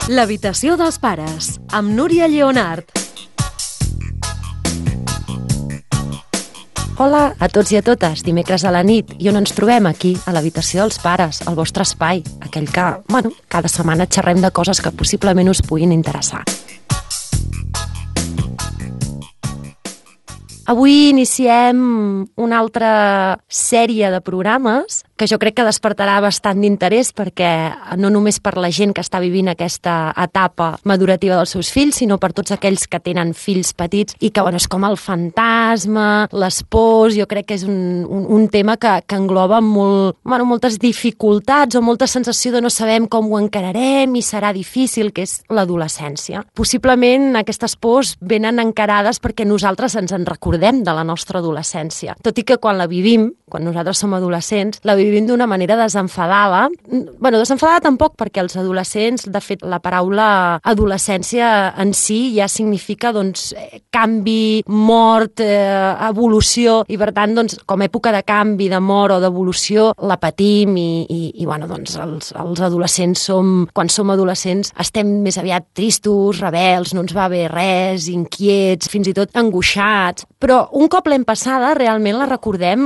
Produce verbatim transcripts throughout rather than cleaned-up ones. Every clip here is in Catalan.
L'habitació dels pares, amb Núria Lleonart. Hola a tots i a totes, dimecres a la nit, i on ens trobem aquí, a l'habitació dels pares, al vostre espai, aquell que, bueno, cada setmana xerrem de coses que possiblement us puguin interessar. Avui iniciem una altra sèrie de programes que jo crec que despertarà bastant d'interès perquè no només per la gent que està vivint aquesta etapa madurativa dels seus fills, sinó per tots aquells que tenen fills petits i que, bueno, és com el fantasma, les pors, jo crec que és un, un, un tema que, que engloba molt, bueno, moltes dificultats o molta sensació de no sabem com ho encararem i serà difícil, que és l'adolescència. Possiblement aquestes pors venen encarades perquè nosaltres ens en recordem de la nostra adolescència. Tot i que quan la vivim, quan nosaltres som adolescents, la vivim d'una manera desenfadada. Bueno, desenfadada tampoc, perquè els adolescents, de fet, la paraula adolescència en si ja significa, doncs, canvi, mort, eh, evolució, i per tant, doncs, com a època de canvi, de mort o d'evolució, la patim i, i, i bueno, doncs, els, els adolescents som, quan som adolescents, estem més aviat tristos, rebels, no ens va bé res, inquiets, fins i tot angoixats, però un cop l'hem passada, realment la recordem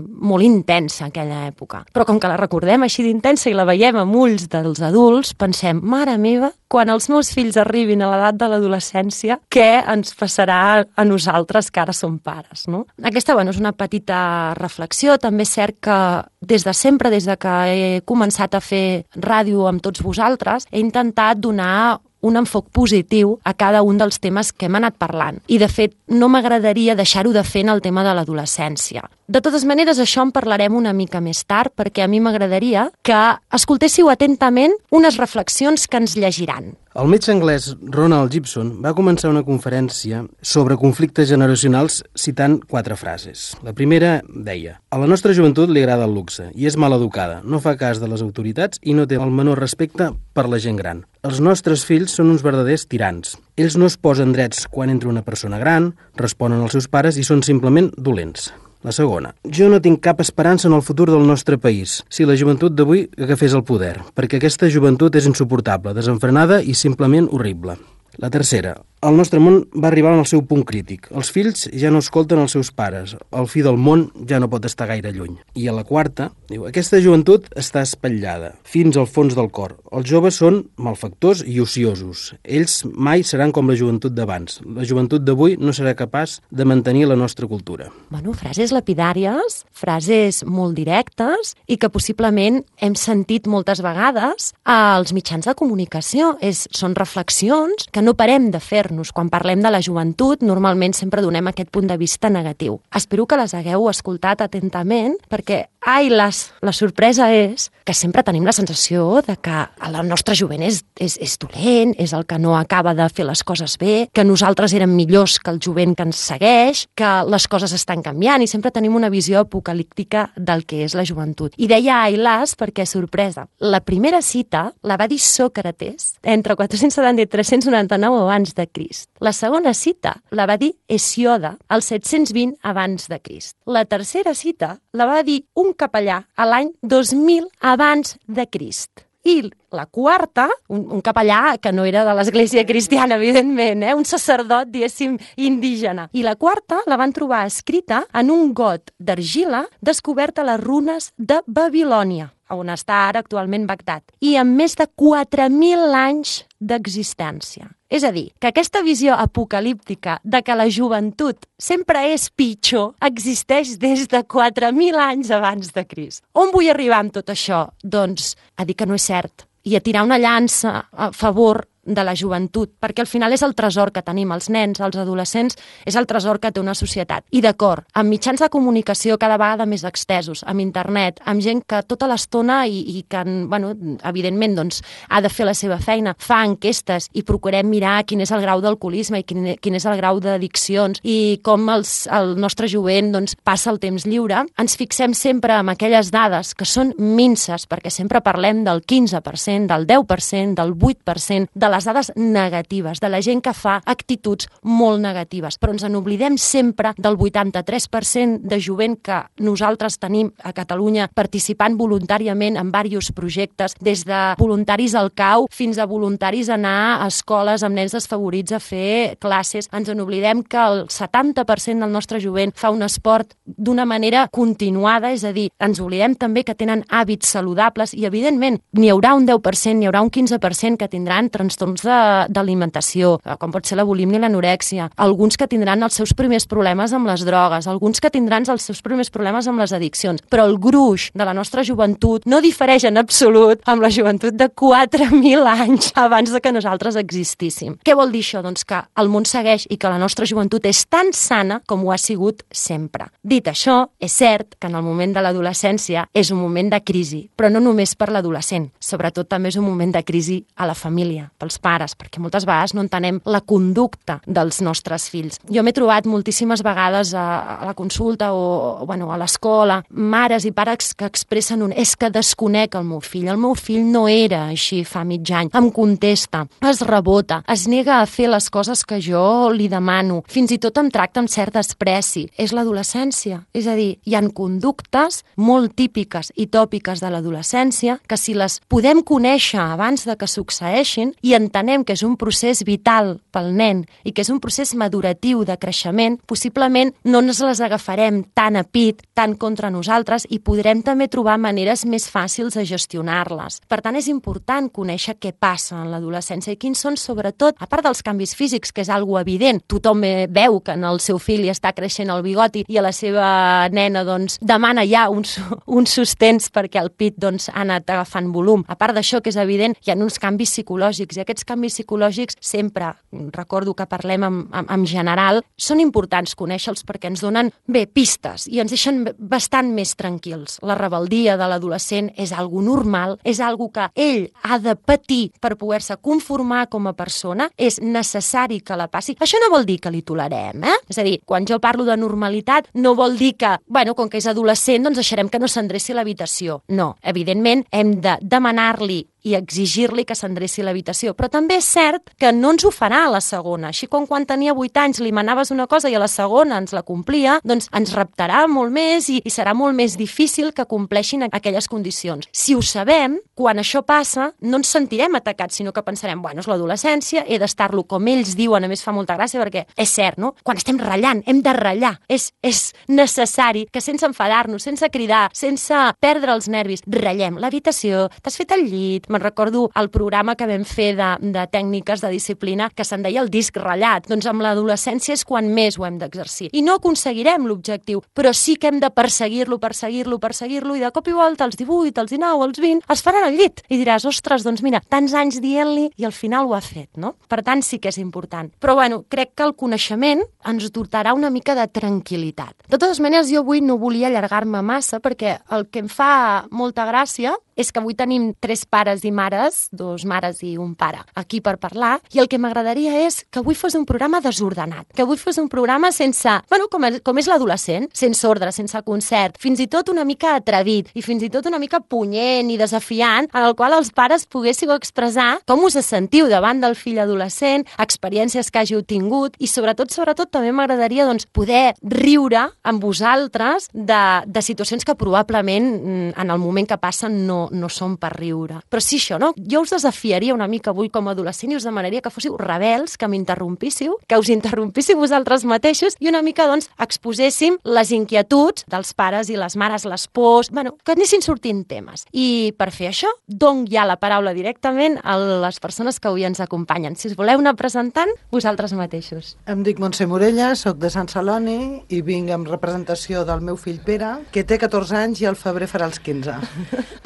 molt intensa, aquella època. Però com que la recordem així d'intensa i la veiem amb ulls dels adults, pensem, mare meva, quan els meus fills arribin a l'edat de l'adolescència, què ens passarà a nosaltres que ara som pares, no? Aquesta, bueno, és una petita reflexió. També és cert que des de sempre, des de que he començat a fer ràdio amb tots vosaltres, he intentat donar un enfoc positiu a cada un dels temes que hem anat parlant. I, de fet, no m'agradaria deixar-ho de fer en el tema de l'adolescència. De totes maneres, això en parlarem una mica més tard, perquè a mi m'agradaria que escoltéssiu atentament unes reflexions que ens llegiran. El metge anglès Ronald Gibson va començar una conferència sobre conflictes generacionals citant quatre frases. La primera deia: a la nostra joventut li agrada el luxe i és mal educada, no fa cas de les autoritats i no té el menor respecte per la gent gran. Els nostres fills són uns verdaders tirans. Ells no es posen drets quan entra una persona gran, responen als seus pares i són simplement dolents. La segona: jo no tinc cap esperança en el futur del nostre país si la joventut d'avui agafés el poder, perquè aquesta joventut és insuportable, desenfrenada i simplement horrible. La tercera: el nostre món va arribar al seu punt crític. Els fills ja no escolten els seus pares. El fi del món ja no pot estar gaire lluny. I a la quarta, diu: aquesta joventut està espatllada fins al fons del cor. Els joves són malfactors i ociosos. Ells mai seran com la joventut d'abans. La joventut d'avui no serà capaç de mantenir la nostra cultura. Bueno, frases lapidàries, frases molt directes i que possiblement hem sentit moltes vegades als mitjans de comunicació. És, són reflexions que no parem de fer. Quan parlem de la joventut, normalment sempre donem aquest punt de vista negatiu. Espero que les hagueu escoltat atentament, perquè, ai, les, la sorpresa és que sempre tenim la sensació de que el nostre jovent és, és, és dolent, és el que no acaba de fer les coses bé, que nosaltres érem millors que el jovent que ens segueix, que les coses estan canviant, i sempre tenim una visió apocalíptica del que és la joventut. I deia ai las perquè, sorpresa, la primera cita la va dir Sòcrates entre quatre-cents setanta i tres-cents noranta-nou abans de Crist. La segona cita la va dir Hesíode al set-cents vint abans de Crist. La tercera cita la va dir un capellà a l'any dos mil abans de Crist. I la quarta, un, un capellà que no era de l'església cristiana, evidentment, eh? Un sacerdot, diguéssim, indígena. I la quarta la van trobar escrita en un got d'argila descobert a les runes de Babilònia, on està ara actualment Bagdad, i amb més de quatre mil anys d'existència. És a dir, que aquesta visió apocalíptica de que la joventut sempre és pitjor existeix des de quatre mil anys abans de Crist. On vull arribar amb tot això? Doncs a dir que no és cert i a tirar una llança a favor de la joventut, perquè al final és el tresor que tenim, els nens, els adolescents, és el tresor que té una societat. I d'acord, amb mitjans de comunicació cada vegada més extesos, amb internet, amb gent que tota l'estona i, i que, bueno, evidentment, doncs, ha de fer la seva feina, fa enquestes i procurem mirar quin és el grau d'alcoholisme i quin, quin és el grau d'addiccions i com els, el nostre jovent, doncs, passa el temps lliure, ens fixem sempre en aquelles dades que són minses, perquè sempre parlem del quinze per cent, del deu per cent, del vuit per cent de la les dades negatives, de la gent que fa actituds molt negatives, però ens n'oblidem sempre del vuitanta-tres per cent de jovent que nosaltres tenim a Catalunya participant voluntàriament en diversos projectes, des de voluntaris al C A U fins a voluntaris a anar a escoles amb nens desfavorits a fer classes. Ens n'oblidem que el setanta per cent del nostre jovent fa un esport d'una manera continuada, és a dir, ens oblidem també que tenen hàbits saludables i, evidentment, n'hi haurà un deu per cent, n'hi haurà un quinze per cent que tindran trastorns d'alimentació, com pot ser la bulímia i l'anorèxia, alguns que tindran els seus primers problemes amb les drogues, alguns que tindran els seus primers problemes amb les addiccions, però el gruix de la nostra joventut no difereix en absolut amb la joventut de quatre mil anys abans de que nosaltres existíssim. Què vol dir això? Doncs que el món segueix i que la nostra joventut és tan sana com ho ha sigut sempre. Dit això, és cert que en el moment de l'adolescència és un moment de crisi, però no només per l'adolescent, sobretot també és un moment de crisi a la família, pels pares, perquè moltes vegades no entenem la conducta dels nostres fills. Jo m'he trobat moltíssimes vegades a, a la consulta o, bueno, a l'escola, mares i pares que expressen un és que desconec el meu fill, el meu fill no era així fa mig any, em contesta, es rebota, es nega a fer les coses que jo li demano, fins i tot em tracta amb cert despreci. És l'adolescència, és a dir, hi ha conductes molt típiques i tòpiques de l'adolescència que si les podem conèixer abans de que succeeixin i entenem que és un procés vital pel nen i que és un procés maduratiu de creixement, possiblement no ens les agafarem tan a pit, tan contra nosaltres i podrem també trobar maneres més fàcils de gestionar-les. Per tant, és important conèixer què passa en l'adolescència i quins són, sobretot, a part dels canvis físics, que és algo evident, tothom veu que en el seu fill li està creixent el bigoti i a la seva nena doncs, demana ja uns, uns sostens perquè el pit doncs, ha anat agafant volum. A part d'això, que és evident, hi ha uns canvis psicològics i aquests canvis psicològics sempre, recordo que parlem en, en, en general, són importants conèixer-los perquè ens donen, bé, pistes i ens deixen bastant més tranquils. La rebeldia de l'adolescent és algo normal, és algo que ell ha de patir per poder-se conformar com a persona, és necessari que la passi. Això no vol dir que li tolerem, eh? És a dir, quan jo parlo de normalitat, no vol dir que, bueno, com que és adolescent, doncs deixarem que no s'endreci l'habitació. No, evidentment, hem de demanar-li i exigir-li que s'endreci l'habitació. Però també és cert que no ens ho farà a la segona. Així com quan tenia vuit anys li manaves una cosa i a la segona ens la complia, doncs ens reptarà molt més i, i serà molt més difícil que compleixin aquelles condicions. Si ho sabem, quan això passa, no ens sentirem atacats, sinó que pensarem, bueno, és l'adolescència, he d'estar-lo com ells diuen, a més fa molta gràcia perquè és cert, no? Quan estem ratllant, hem de ratllar. És, és necessari que sense enfadar-nos, sense cridar, sense perdre els nervis, ratllem l'habitació, t'has fet el llit. Me'n recordo el programa que vam fer de, de tècniques de disciplina que se'n deia el disc ratllat. Doncs amb l'adolescència és quan més ho hem d'exercir. I no aconseguirem l'objectiu, però sí que hem de perseguir-lo, perseguir-lo, perseguir-lo i de cop i volta als divuit, als dinou, als vint, es faran al llit. I diràs, ostres, doncs mira, tants anys dient-li i al final ho ha fet, no? Per tant, sí que és important. Però bueno, crec que el coneixement ens dotarà una mica de tranquil·litat. De totes maneres, jo avui no volia allargar-me massa perquè el que em fa molta gràcia és que avui tenim tres pares i mares, dos mares i un pare, aquí per parlar, i el que m'agradaria és que avui fos un programa desordenat, que avui fos un programa sense, bueno, com és, com és l'adolescent, sense ordre, sense concert, fins i tot una mica atrevit i fins i tot una mica punyent i desafiant, en el qual els pares poguéssiu expressar com us sentiu davant del fill adolescent, experiències que hàgiu tingut i sobretot, sobretot també m'agradaria doncs, poder riure amb vosaltres de, de situacions que probablement en el moment que passen no no són per riure. Però sí això, no? Jo us desafiaria una mica avui com a adolescent i us demanaria que fóssiu rebels, que m'interrompíssiu, que us interrompíssiu vosaltres mateixos i una mica, doncs, exposéssim les inquietuds dels pares i les mares, les pors, bueno, que anessin sortint temes. I per fer això, dono ja la paraula directament a les persones que avui ens acompanyen. Si us voleu anar presentant, vosaltres mateixos. Em dic Montse Morella, soc de Sant Celoni i vinc en representació del meu fill Pere, que té catorze anys i al febrer farà els quinze.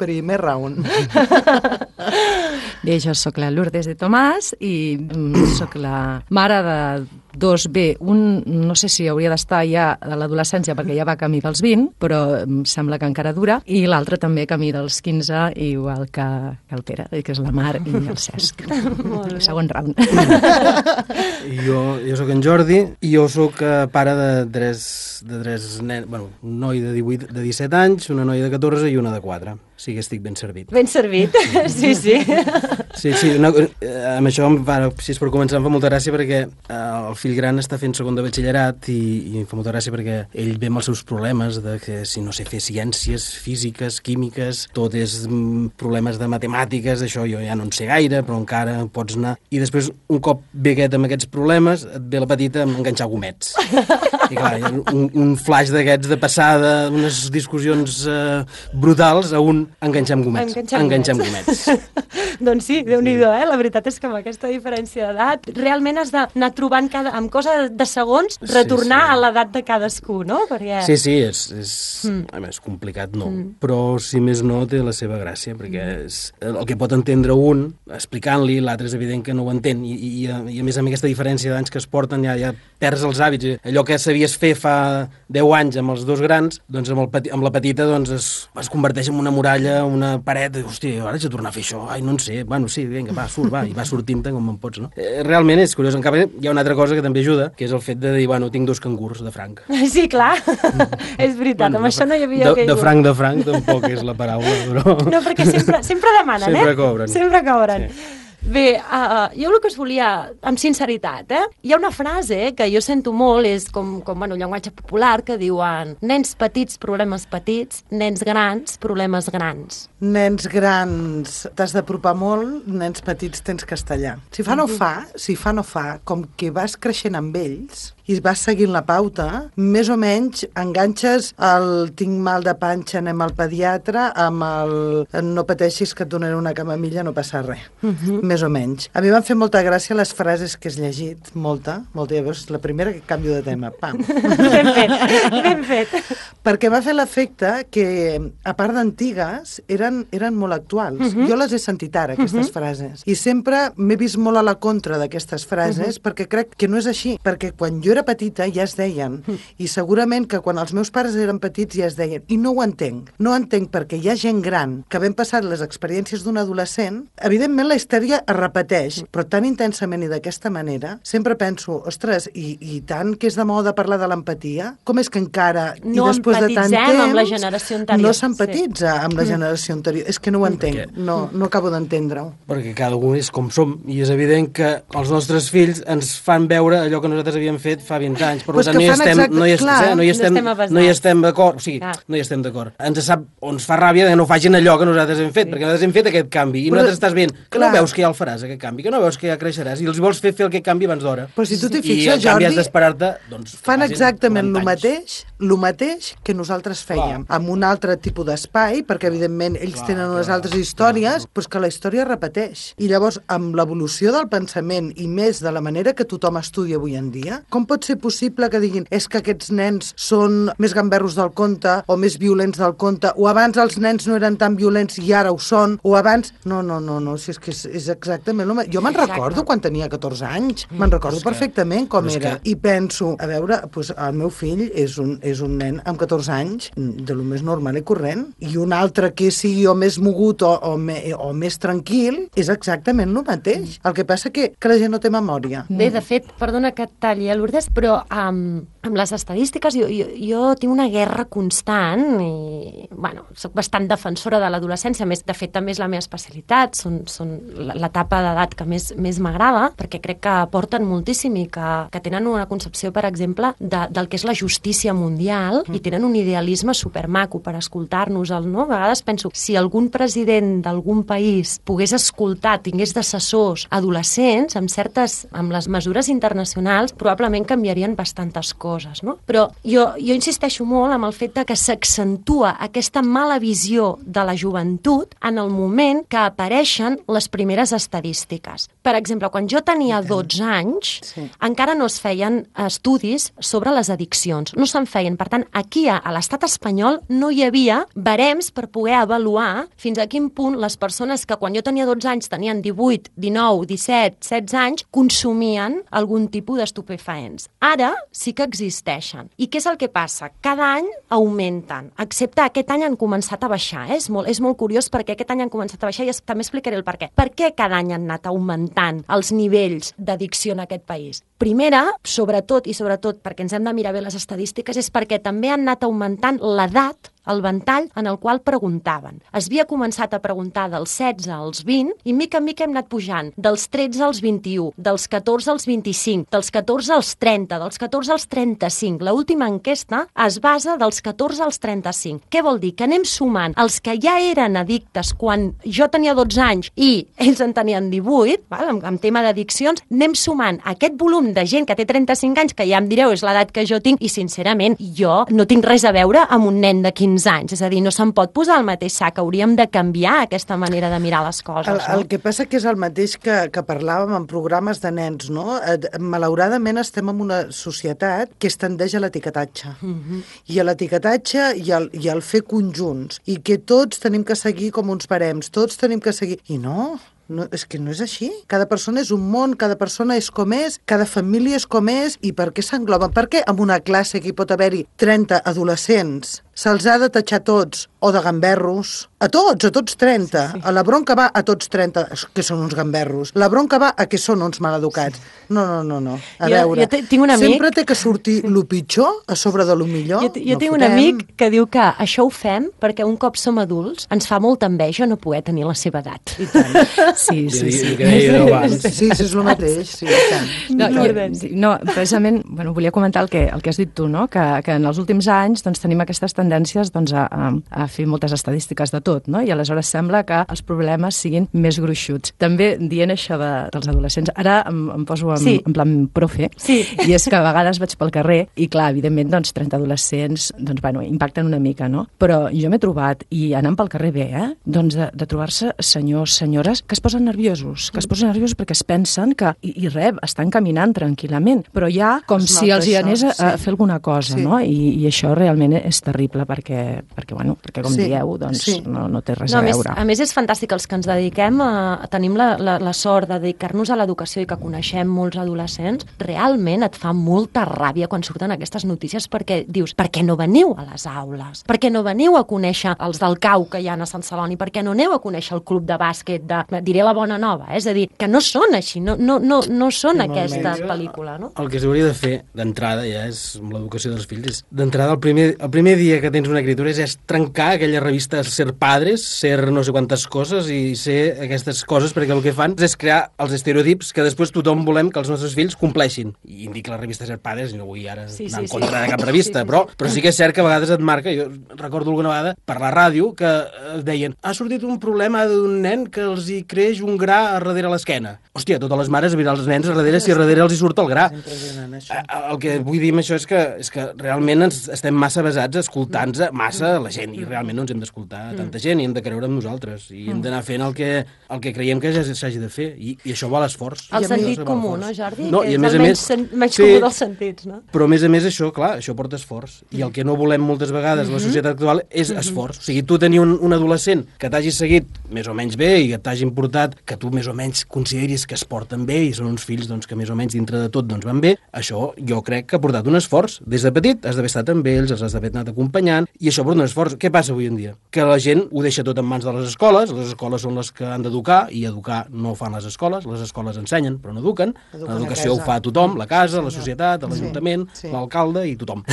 Primer round. Bé, jo sóc la Lourdes de Tomàs i soc la mare de dos, bé, un no sé si hauria d'estar ja a l'adolescència perquè ja va camí dels vint, però em sembla que encara dura, i l'altre també camí dels quinze, igual que, que el Pere, que és la Mar i el Cesc. Segon round. Jo, jo sóc en Jordi i jo sóc eh, pare de tres, de tres nens, bueno, un noi de divuit, de disset anys, una noia de catorze i una de quatre. Sí que estic ben servit. Ben servit, sí, sí. Sí, sí, no, eh, amb això, bueno, si és per començar, em fa molta gràcia perquè eh, el fill gran està fent segon de batxillerat i, i em fa molta gràcia perquè ell ve amb els seus problemes de que si no sé fer ciències, físiques, químiques, tot és mm, problemes de matemàtiques, això jo ja no en sé gaire, però encara pots anar. I després, un cop ve aquest amb aquests problemes, et ve la petita amb enganxar gomets. I clar, un, un flash d'aquests de passada, unes discussions eh, brutals a un enganxar amb gomets. Enganxar enganxar amb gomets. gomets. Doncs sí, Déu-n'hi-do, eh? La veritat és que amb aquesta diferència d'edat realment has d'anar trobant cada, amb cosa de segons, retornar sí, sí. a l'edat de cadascú, no? Perquè... Sí, sí, és, és, Mm. a més, complicat no, mm. però si més no té la seva gràcia, perquè és el que pot entendre un explicant-li, l'altre és evident que no ho entén, i, i, i a més amb aquesta diferència d'anys que es porten ja, ja perds els hàbits. Allò que sabies fer fa deu anys amb els dos grans, doncs amb, el peti, amb la petita doncs es, es converteix en una muralla, una paret, hòstia, ara haig de tornar a fer això, ai, no en sé, bueno, sí, vinga, va, surt, va, i va sortint-te com en pots, no? Eh, realment és curiós, en canvi hi ha una altra cosa que també ajuda, que és el fet de dir, bueno, tinc dos cangurs de franc. Sí, clar, és veritat, bueno, amb això no hi havia de, caigut. De franc de franc tampoc és la paraula, però... No, perquè sempre, sempre demanen, sempre eh? Cobren. Sempre cobren. Sí. Bé, uh, jo el que us volia, amb sinceritat, eh? Hi ha una frase que jo sento molt, és com, com bueno, llenguatge popular, que diuen nens petits, problemes petits, nens grans, problemes grans. Nens grans t'has d'apropar molt, nens petits tens castellà. Si fa no fa, si fa no fa, com que vas creixent amb ells i vas seguint la pauta, més o menys enganxes el tinc mal de panxa, anem al pediatre, amb el no pateixis que et donaré una camamilla, no passa res. Uh-huh. Més o menys. A mi m'han fet molta gràcia les frases que has llegit, molta, molta, ja veus, la primera que canvio de tema, pam. Ben fet, ben fet. Perquè m'ha fet l'efecte que, a part d'antigues, eren, eren molt actuals. Uh-huh. Jo les he sentit ara, aquestes uh-huh. frases. I sempre m'he vist molt a la contra d'aquestes frases, uh-huh. perquè crec que no és així. Perquè quan jo era petita ja es deien. Uh-huh. I segurament que quan els meus pares eren petits ja es deien. I no ho entenc. No ho entenc perquè hi ha gent gran que havent passat les experiències d'un adolescent, evidentment la història es repeteix, però tan intensament i d'aquesta manera, sempre penso, ostres, i, i tant que és de moda parlar de l'empatia, com és que encara, no i després de tant temps, amb la generació anterior. No s'empatitza sí. amb la generació anterior. És que no ho entenc, perquè... no, no acabo d'entendre-ho. Perquè cada un és com som, i és evident que els nostres fills ens fan veure allò que nosaltres havíem fet fa vint anys, per pues tant no hi estem, exacte, no hi estem, clar, no hi estem, no hi estem d'acord, o sigui, clar. no hi estem d'acord. Ens sap, o ens fa ràbia que no facin allò que nosaltres hem fet, sí. perquè nosaltres hem fet aquest canvi, i però, nosaltres estàs veient, que clar. no veus que ja el faràs, aquest canvi, que no veus que ja creixeràs, i els vols fer fer aquest canvi abans d'hora. Però si tu t'hi fixes, I en canvi has d'esperar-te, doncs... Fan exactament el mateix, el mateix que nosaltres fèiem, clar. amb un altre tipus d'espai, perquè evidentment ells clar, tenen unes clar, altres històries, clar. però que la història repeteix. I llavors, amb l'evolució del pensament, i més de la manera que tothom estudia avui en dia, com pot ser possible que diguin és que aquests nens són més gamberros del conte, o més violents del conte, o abans els nens no eren tan violents i ara ho són, o abans... No, no, no, no, si és que és, és exactament el mateix. Jo me'n recordo quan tenia catorze anys, me'n recordo que, perfectament com era, que... i penso, a veure, pues, el meu fill és un, és un nen amb catorze anys, de lo més normal i corrent, i un altre que sigui o més mogut o, o, me, o més tranquil, és exactament el mateix. El que passa que, que la gent no té memòria. Bé, de fet, perdona que et talli, eh, Lourdes, però um, amb les estadístiques jo, jo, jo tinc una guerra constant i, bueno, soc bastant defensora de l'adolescència, més, de fet, també és la meva especialitat, són, són l'etapa d'edat que més, més m'agrada, perquè crec que aporten moltíssim i que, que tenen una concepció, per exemple, de, del que és la justícia mundial mm. i tenen un idealisme supermaco per escoltar-nos. No? A vegades penso, si algun president d'algun país pogués escoltar, tingués d'assessors adolescents, amb certes, amb les mesures internacionals, probablement canviarien bastantes coses. coses, no? Però jo, jo insisteixo molt amb el fet de que s'accentua aquesta mala visió de la joventut en el moment que apareixen les primeres estadístiques. Per exemple, quan jo tenia dotze anys, sí. encara no es feien estudis sobre les addiccions, no se'n feien. Per tant, aquí a, a l'estat espanyol no hi havia barems per poder avaluar fins a quin punt les persones que quan jo tenia dotze anys tenien divuit, dinou, disset, setze anys consumien algun tipus d'estupefaents. Ara sí que existeixen. I què és el que passa? Cada any augmenten, excepte aquest any han començat a baixar. Eh? És, molt, és molt curiós perquè aquest any han començat a baixar i es, també explicaré el per què. Per què cada any han anat augmentant els nivells d'addicció en aquest país? Primera, sobretot i sobretot perquè ens hem de mirar bé les estadístiques, és perquè també han anat augmentant l'edat, el ventall en el qual preguntaven. Es havia començat a preguntar dels setze als vint i mica en mica hem anat pujant dels tretze als vint-i-u, dels catorze als vint-i-cinc, dels catorze als trenta, dels catorze als trenta-cinc. L'última enquesta es basa dels catorze als trenta-cinc. Què vol dir? Que anem sumant els que ja eren addictes quan jo tenia dotze anys i ells en tenien divuit, val? En, en tema d'addiccions, anem sumant aquest volum de gent que té trenta-cinc anys, que ja em direu és l'edat que jo tinc, i sincerament jo no tinc res a veure amb un nen de quinze anys, és a dir, no se'n pot posar al mateix sac, hauríem de canviar aquesta manera de mirar les coses. El, no? el que passa que és el mateix que, que parlàvem en programes de nens, no? Malauradament estem en una societat que es tendeix a l'etiquetatge. Uh-huh. I a l'etiquetatge i al, i al fer conjunts, i que tots tenim que seguir com uns barems, tots tenim que seguir... I no... No, és que no és així. Cada persona és un món, cada persona és com és, cada família és com és, i per què s'engloben? Per què en una classe que hi pot haver-hi trenta adolescents se'ls ha de tatxar tots, o de gamberros? A tots, a tots trenta. Sí, sí. A la bronca va a tots trenta, que són uns gamberros. La bronca va a que són uns maleducats. Sí. No, no, no, no. A jo, veure, jo tinc un amic... sempre té que sortir lo pitjor a sobre de lo millor. Jo, jo no tinc fotem. un amic que diu que això ho fem perquè un cop som adults ens fa molta enveja no poder tenir la seva edat. I tant. Sí, sí, sí. Sí, sí, és el mateix. Sí, i tant. No, jo, no, precisament, bueno, volia comentar el que, el que has dit tu, no? que, que en els últims anys doncs, tenim aquestes tendències doncs, a, a, a fer moltes estadístiques de tot, no? I aleshores sembla que els problemes siguin més gruixuts. També dient això de, dels adolescents, ara em, em poso en, sí. en plan profe, sí. i és que a vegades vaig pel carrer i clar, evidentment, doncs, trenta adolescents doncs, bueno, impacten una mica, no? Però jo m'he trobat, i anant pel carrer bé, eh? doncs de, de trobar-se senyors, senyores, que es posen nerviosos, que es posen nerviosos perquè es pensen que, i, i res, estan caminant tranquil·lament, però ja com es si els hi anés a, a fer alguna cosa, sí. no? I, i això realment és terrible perquè, perquè, bueno, perquè com sí. dieu, doncs sí. no, no té res no, a, a veure. Més, a més, és fantàstic els que ens dediquem a, a tenim la, la, la sort de dedicar-nos a l'educació i que coneixem molts adolescents, realment et fa molta ràbia quan surten aquestes notícies perquè dius, per què no veniu a les aules? Per què no veniu a conèixer els del Cau que hi ha a Sant Celoni? Per què no aneu a conèixer el club de bàsquet de, diré la bona nova, eh? És a dir, que no són així, no, no, no, no són no, aquesta no, pel·lícula, no? El que s'hauria de fer d'entrada, ja és amb l'educació dels fills, és d'entrada el primer, el primer dia que tens una criatura és, és trencar aquella revista Ser Padres, ser no sé quantes coses i ser aquestes coses, perquè el que fan és crear els estereotips que després tothom volem que els nostres fills compleixin. I indica la revista Ser Padres, i no vull ara sí, anar sí, en contra sí. de cap revista, sí, sí, però, però sí que és cert que a vegades et marca, jo recordo alguna vegada per la ràdio que deien, ha sortit un problema d'un nen que els hi creix un gra a darrere l'esquena. Hòstia, totes les mares mirar els nens a darrere si a darrere els hi surt el gra. El que vull dir amb això és que, és que realment ens estem massa basats escoltant-nos massa la gent, i realment no ens hem d'escoltar tanta gent i hem de creure en nosaltres i hem d'anar fent el que, el que creiem que s'hagi de fer, i, i això va a l'esforç. El sentit comú, no, Jordi? No, que i a és més el a menys, més, menys sí, comú dels sentits, no? Però a més a més això, clar, això porta esforç, i el que no volem moltes vegades a la societat actual és esforç. O sigui, tu tenir un, un adolescent que t'hagi seguit més o menys bé i que t'hagi importat, que tu més o menys consideris que es porten bé i són uns fills doncs, que més o menys dintre de tot doncs, van bé, això jo crec que ha portat un esforç. Des de petit has d'haver estat amb ells, els has d'haver anat acompanyant, i això porta un esforç. Què passa avui en dia? Que la gent ho deixa tot en mans de les escoles, les escoles són les que han d'educar, i educar no ho fan les escoles, les escoles ensenyen però no eduquen, l'educació ho fa tothom, la casa, sí, la societat, l'Ajuntament, sí, sí. l'alcalde i tothom.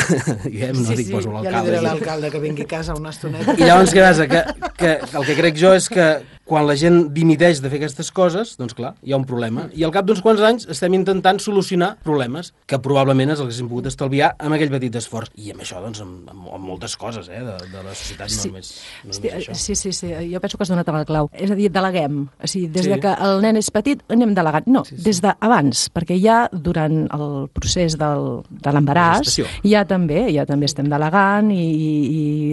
I hem, no sí, dic, sí. poso l'alcalde. Ja li diré l'alcalde que vingui a casa una estoneta. I llavors què passa? Que, que el que crec jo és que quan la gent dimiteix de fer aquestes coses, doncs clar, hi ha un problema. I al cap d'uns quants anys estem intentant solucionar problemes que probablement els haguéssim pogut estalviar amb aquell petit esforç. I amb això, doncs, amb, amb, amb moltes coses, eh, de, de la societat, no sí. només, no sí, només això. Sí, sí, sí, jo penso que has donat a la clau. És a dir, deleguem. O sigui, des Sí. de que el nen és petit anem delegant. No, Sí, sí. des d'abans, perquè ja durant el procés del, de l'embaràs La gestació. ja també, ja també estem delegant i, i,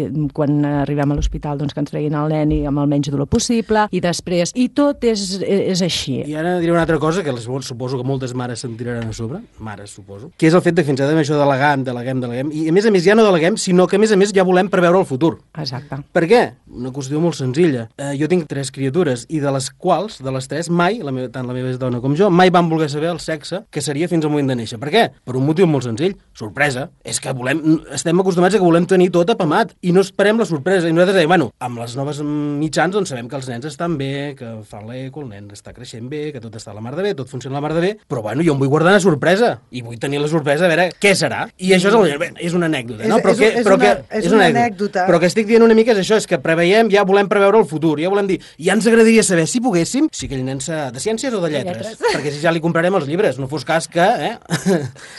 i quan arribem a l'hospital doncs, que ens treguin el nen i amb el menys dolor possible i després, i tot és, és així. I ara diré una altra cosa que les, suposo que moltes mares se'n tiraran a sobre, mares suposo, que és el fet de que fins ara això deleguem, deleguem, deleguem, i a més a més ja no deleguem, sinó que a més a més ja volem preveure el futur. Exacte. Per què? Una qüestió molt senzilla. Eh, jo tinc tres criatures i de les quals, de les tres, mai, la meva, tant la meva dona com jo, mai van voler saber el sexe que seria fins al moment de néixer. Per què? Per un motiu molt senzill. Sorpresa. És que volem, estem acostumats a que volem tenir tot apamat i no esperem la sorpresa. I nosaltres dèiem, bueno, amb les noves mitjans doncs sabem que els nens estan bé, que fan l'eco, el nen està creixent bé, que tot està a la mar de bé, tot funciona a la mar de bé, però bueno, jo em vull guardar una sorpresa i vull tenir la sorpresa a veure què serà. I això és, el, bé, és una anècdota, no? És, Però és, que, és, però una, que, és una anècdota. Però que estic dient una mica és això, és que preveiem, ja volem preveure el futur, ja volem dir, ja ens agradaria saber, si poguéssim, si aquell nen s'ha de ciències o de lletres, lletres, perquè si ja li comprarem els llibres, no fos cas que... Eh?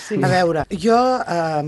Sí. A veure, jo eh,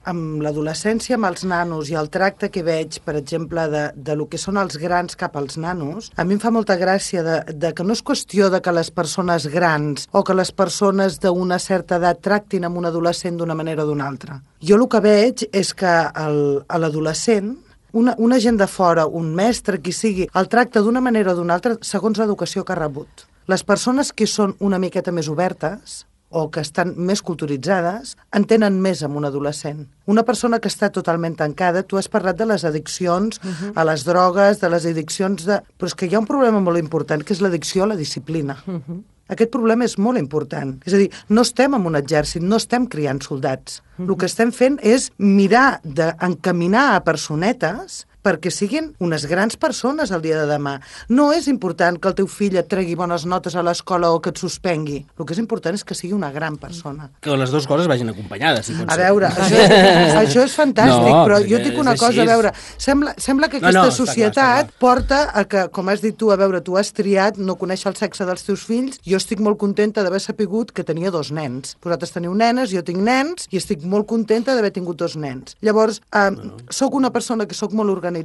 amb l'adolescència, amb els nanos i el tracte que veig, per exemple, de, de lo que són els grans cap als nanos, a mi em fa molta gràcia de, de que no és qüestió de que les persones grans o que les persones d'una certa edat tractin amb un adolescent d'una manera o d'una altra. Jo el que veig és que el, a l'adolescent Una, una gent de fora, un mestre, qui sigui, el tracta d'una manera o d'una altra segons l'educació que ha rebut. Les persones que són una miqueta més obertes o que estan més culturitzades entenen més amb un adolescent. Una persona que està totalment tancada, tu has parlat de les addiccions uh-huh. a les drogues, de les addiccions de... Però és que hi ha un problema molt important, que és l'addicció a la disciplina. Uh-huh. Aquest problema és molt important. És a dir, no estem en un exèrcit, no estem criant soldats. Uh-huh. El que estem fent és mirar d'encaminar a personetes perquè siguin unes grans persones el dia de demà. No és important que el teu fill et tregui bones notes a l'escola o que et suspengui. El que és important és que sigui una gran persona. Que les dues coses vagin acompanyades. Si a veure, això, això és fantàstic, no, però jo dic una cosa, a veure, sembla, sembla que aquesta no, no, societat clar, clar. porta a que, com has dit tu, a veure, tu has triat no conèixer el sexe dels teus fills, jo estic molt contenta d'haver sapigut que tenia dos nens. Vosaltres teniu nenes, jo tinc nens, i estic molt contenta d'haver tingut dos nens. Llavors, eh, no. soc una persona que sóc molt organitzada,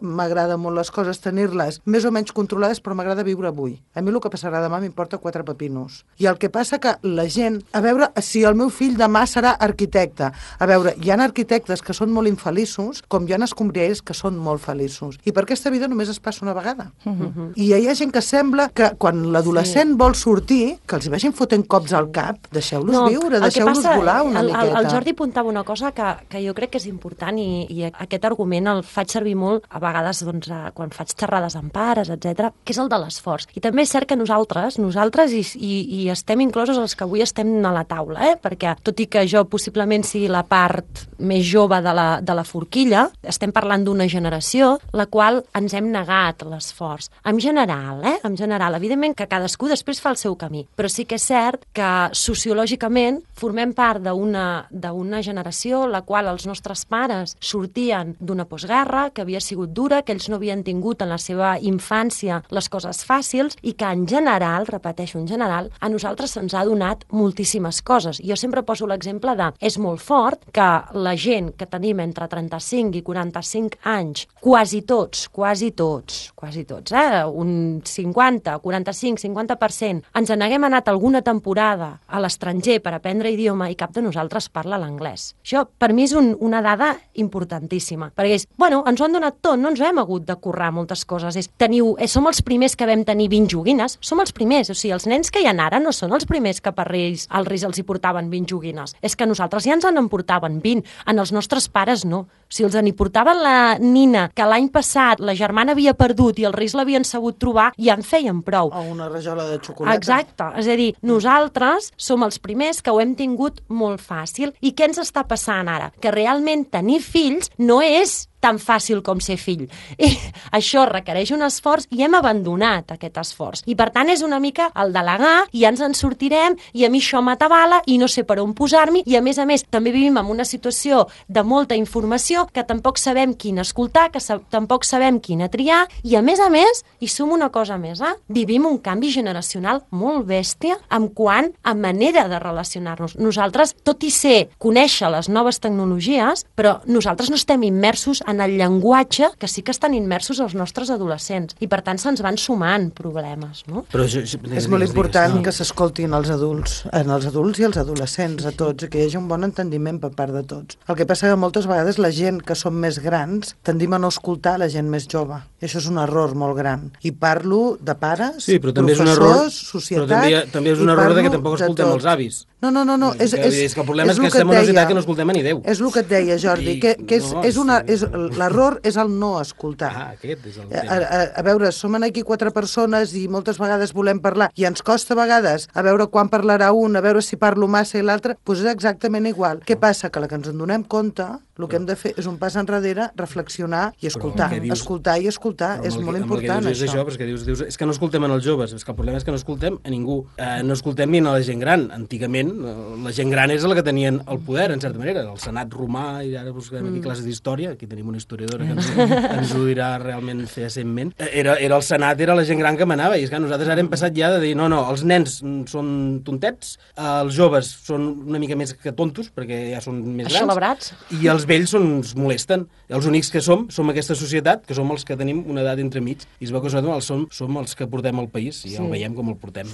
m'agrada molt les coses tenir-les més o menys controlades, però m'agrada viure avui. A mi el que passarà demà m'importa quatre pepinos. I el que passa que la gent, a veure, si el meu fill demà serà arquitecte, a veure, hi ha arquitectes que són molt infeliços, com hi ha escombriers que són molt feliços. I per aquesta vida només es passa una vegada. Uh-huh. I hi ha gent que sembla que quan l'adolescent sí. vol sortir, que els hi vagin fotent cops al cap, deixeu-los no, viure, deixeu-los volar una el, miqueta. El, el Jordi apuntava una cosa que, que jo crec que és important i, i aquest argument el faig servir molt a vegades doncs, quan faig xerrades amb pares, etcètera, que és el de l'esforç. I també és cert que nosaltres, nosaltres i, i, i estem inclosos els que avui estem a la taula, eh? Perquè tot i que jo possiblement sigui la part més jove de la, de la forquilla, estem parlant d'una generació la qual ens hem negat l'esforç. En general, eh? En general, evidentment que cadascú després fa el seu camí, però sí que és cert que sociològicament formem part d'una d'una generació la qual els nostres pares sortien d'una postguerra, que havia sigut dura, que ells no havien tingut en la seva infància les coses fàcils i que en general, repeteixo, en general, a nosaltres se'ns ha donat moltíssimes coses. Jo sempre poso l'exemple de, és molt fort que la gent que tenim entre trenta-cinc i quaranta-cinc anys, quasi tots, quasi tots, quasi tots, eh? Un cinquanta, quaranta-cinc, cinquanta per cent, ens n'haguem anat alguna temporada a l'estranger per aprendre idioma i cap de nosaltres parla l'anglès. Això, per mi, és un, una dada importantíssima, perquè és, bueno, ens ho han donat tot, no ens hem hagut de currar moltes coses. És, teniu, eh, som els primers que vam tenir vint joguines, som els primers, o sigui, els nens que hi ha ara no són els primers que per Reis, als Reis els hi portaven vint joguines. És que nosaltres ja ens en portaven vint, en els nostres pares no. Si els en hi portaven la nina, que l'any passat la germana havia perdut i els Reis l'havien sabut trobar, ja en feien prou. O una rajola de xocolata. Exacte, és a dir, nosaltres som els primers que ho hem tingut molt fàcil. I què ens està passant ara? Que realment tenir fills no és tan fàcil com ser fill. I això requereix un esforç i hem abandonat aquest esforç. I per tant és una mica el delegar i ja ens en sortirem i a mi això m'atabala i no sé per on posar-m'hi i a més a més també vivim en una situació de molta informació que tampoc sabem quina escoltar, que sa- tampoc sabem quina triar i a més a més, i sumo una cosa més, eh? Vivim un canvi generacional molt bèstia en quant a manera de relacionar-nos. Nosaltres, tot i ser conèixer les noves tecnologies, però nosaltres no estem immersos en el llenguatge que sí que estan immersos els nostres adolescents i per tant se'ns van sumant problemes, no? Però això, això, És molt important que s'escoltin els adults, en els adults i els adolescents, a tots, i que hi hagi un bon entendiment per part de tots. El que passa que moltes vegades la gent que som més grans tendim a no escoltar la gent més jove. I això és un error molt gran. I parlo de pares, Sí, però també és un error, professors, societat... però també, hi ha- també és un i error de que parlo tampoc de escoltem tot. els avis. No, no, no, no. És, Que- és, és que el problema és que el estem en et una societat deia. que no escoltem a ni Déu. És el que et deia, Jordi, I- que, que és, no, és una, sí. és, l'error és el no escoltar. Ah, aquest és el A, tema. a, a veure, som aquí quatre persones i moltes vegades volem parlar i ens costa a vegades a veure quan parlarà un, a veure si parlo massa i l'altre, doncs és exactament igual. Què passa? Que la que ens en donem compte, el que hem de fer és un pas enrere, reflexionar i escoltar. el que dius- Escoltar i escoltar, Però és amb el molt que- amb el que important, dius és això. això, però és que dius, dius, és que no escoltem en els joves, és que el problema és que no escoltem a ningú. Eh, no escoltem ni a la gent gran. Antigament, eh, la gent gran és la que tenien el poder, en certa manera. El Senat romà, i ara busquem aquí classes d'història, aquí tenim una historiadora que ens, ens ho dirà realment fehacientment. Eh, Era, era el Senat, era la gent gran que manava, i és que nosaltres ara hem passat ja de dir, no, no, els nens mm, són tontets, els joves són una mica més que tontos, perquè ja són més grans, Aixelebrats. i els vells són, ens molesten. Els únics que som, som aquesta societat, que som els que tenim una edat entremig, i es veu que som els, som, som els que portem el país, i ja el veiem com el portem.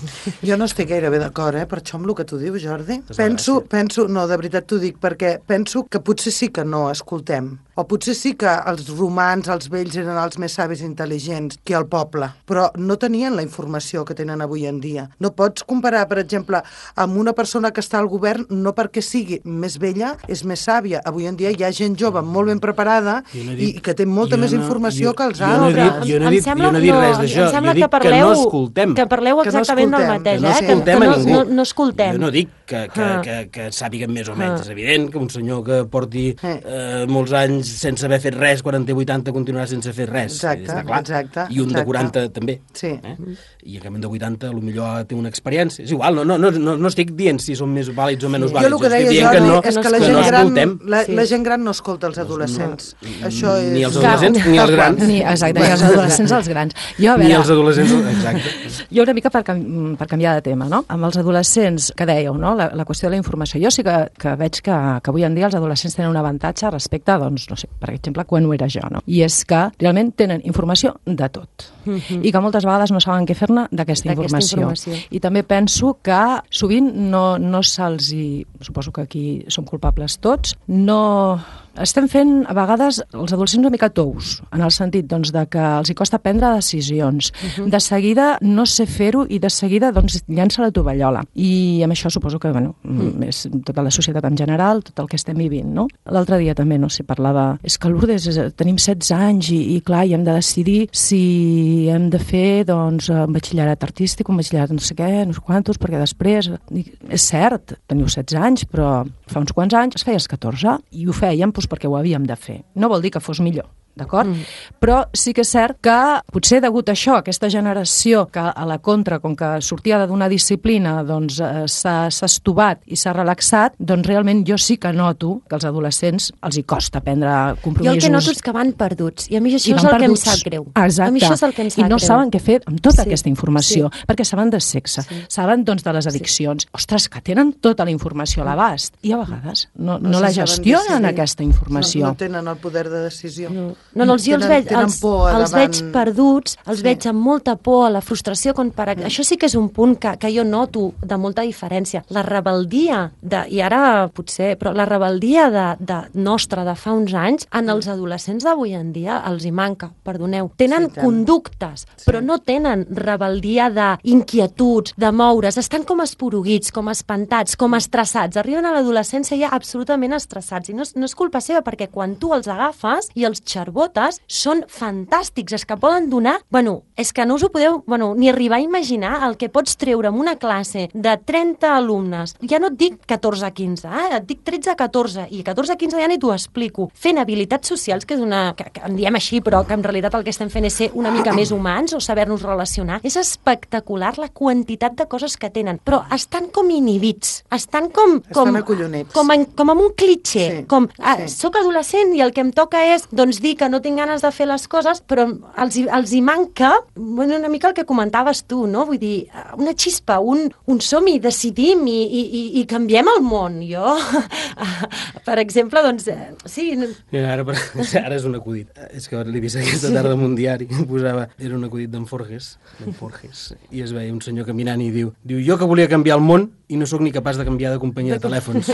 Jo no estic gairebé d'acord, eh, per això amb el que tu dius, Jordi. És la Penso, gràcia. penso, no, de veritat t'ho dic, perquè penso que potser sí que no escoltem. O potser sí que els romans, els vells, eren els més savis i intel·ligents que el poble, però no tenien la informació que tenen avui en dia. No pots comparar, per exemple, amb una persona que està al govern, no perquè sigui més vella, és més sàvia. Avui en dia hi ha gent jove molt ben preparada Jo no he i, dit- i que té molta jo més no- informació jo- que els jo no he dit- altres. jo no he dit- jo no he dit res d'això. Em sembla Jo dic que, parleu, que no escoltem. que parleu Que no exactament del escoltem, mateix, Que no eh? Que, escoltem que a no, ningú. no, no escoltem. Jo no dic que, que, Ah. que, que sàpiguen més o menys. Ah. És evident que un senyor que porti eh, molts anys sense haver fet res, quaranta i vuitanta, continuarà sense fer res. Exacte, està clar. exacte, I un de exacte. quaranta també. Sí. Eh? I en canvi un de vuitanta potser té una experiència. És igual, no, no, no, no, no estic dient si són més vàlids o menys Jo vàlids. el que estic deia, dient Jordi, que no, és que la que gent, no gran, escoltem. la, Sí. la gent gran no escolta els adolescents. Això és... Ni els adolescents, Clar. ni els grans. Ni, exacte, ni els adolescents als grans. Jo, a Ni veure, els adolescents, exacte. Jo una mica per, cam per canviar de tema, no? Amb els adolescents, que dèieu, no? La, la qüestió de la informació. Jo sí que, que veig que, que avui en dia els adolescents tenen un avantatge respecte, doncs, no sé, per exemple, quan ho era jo, no? I és que realment tenen informació de tot. Mm-hmm. I que moltes vegades no saben què fer-ne d'aquesta informació. informació. I també penso que sovint no, no se'ls hi... Suposo que aquí som culpables tots, no... Estem fent, a vegades, els adolescents una mica tous, en el sentit doncs, de que els hi costa prendre decisions. Uh-huh. De seguida no sé fer-ho i de seguida doncs, llença la tovallola. I amb això suposo que bueno, mm. és tota la societat en general, tot el que estem vivint. No? L'altre dia també no sé, parlava... És que Lourdes, tenim setze anys i, i clar, i hem de decidir si hem de fer doncs, un batxillerat artístic, un batxillerat no sé què, no sé quantos, perquè després... Dic, és cert, teniu setze anys, però fa uns quants anys es feia els catorze i ho fèiem doncs, perquè ho havíem de fer. No vol dir que fos millor, d'acord? Mm. Però sí que és cert que potser degut a això, aquesta generació que a la contra, com que sortia d'una disciplina, doncs eh, s'ha estovat i s'ha relaxat, doncs realment jo sí que noto que als adolescents els hi costa prendre compromisos. Jo el que noto és que van perduts, i a mi això I és van el que em perduts. sap greu. Exacte. A mi això és el que em sap I no greu. saben què fer amb tota Sí, aquesta informació, sí. perquè saben de sexe, Sí. saben doncs, de les addiccions. Ostres, que tenen tota la informació a l'abast, i a vegades no, no, no la se saben gestionen, decidir. aquesta informació. No, no tenen el poder de decisió. No, no, no els, jo els Tenen- veig, tenen els, por els davant- veig perduts, els Sí. veig amb molta por, a la frustració. Quan per... mm. Això sí que és un punt que, que jo noto de molta diferència. La rebeldia, de, i ara potser, però la rebeldia de, de nostra de fa uns anys, en els adolescents d'avui en dia els hi manca, perdoneu. Tenen Sí, tant. conductes, però no tenen rebeldia d'inquietuds, de moure's. Estan com esporuguits, com espantats, com estressats. Arriben a l'adolescència ja absolutament estressats. I no és, no és culpa seva, perquè quan tu els agafes i els xerbones, botes són fantàstics, és que poden donar... Bueno, és que no us ho podeu bueno, ni arribar a imaginar el que pots treure en una classe de trenta alumnes. Ja no et dic catorze a quinze, eh? Et dic tretze a catorze, i catorze a quinze ja ni t'ho explico. Fent habilitats socials, que és una... que, que en diem així, però que en realitat el que estem fent és ser una mica més humans o saber-nos relacionar. És espectacular la quantitat de coses que tenen, però estan com inhibits, estan com... com estan acollonits. Com, en, com amb un clitxer, sí, com, ah, sí. soc adolescent i el que em toca és doncs, dir que no tinc ganes de fer les coses, però els, hi- els hi manca bueno, una mica el que comentaves tu, no? Vull dir, una xispa, un, un som-hi, decidim i, i, i, i canviem el món. Jo, per exemple, doncs, eh, sí... no- Mira, ara, per- ara és un acudit. És que l'he vist aquesta tarda en un diari, posava, era un acudit d'en Forges, d'en Forges, i es veia un senyor caminant i diu, diu, jo que volia canviar el món i no sóc ni capaç de canviar de companyia de telèfons.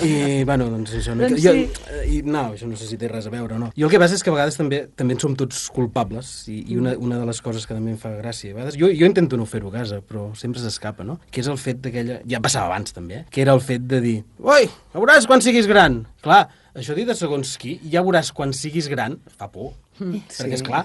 I, bueno, doncs això... No, Doncs jo, sí. i, no, això no sé si té res a veure o no. I el que passa és que a vegades també també en som tots culpables, i, i una, una de les coses que també em fa gràcia, a vegades, jo, jo intento no fer-ho a casa, però sempre s'escapa, no? Que és el fet d'aquella... Ja passava abans, també, eh? Que era el fet de dir, oi, ja veuràs quan siguis gran. Clar, això dit de segons qui, ja veuràs quan siguis gran, fa por. Sí. Perquè, esclar,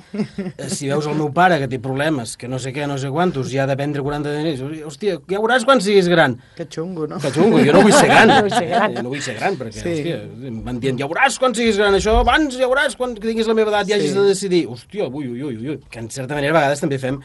si veus el meu pare que té problemes, que no sé què, no sé quantos, ja ha de prendre quaranta diners, hòstia, ja veuràs quan siguis gran. Que xungo, no? Que xungo, jo no vull ser gran. No vull ser gran. Jo no vull ser gran, perquè, Sí. hòstia, van dient, ja veuràs quan siguis gran, això, abans ja veuràs quan tinguis la meva edat, ja Sí. hagis de decidir. Hòstia, ui, ui, ui, ui. Que en certa manera a vegades també fem,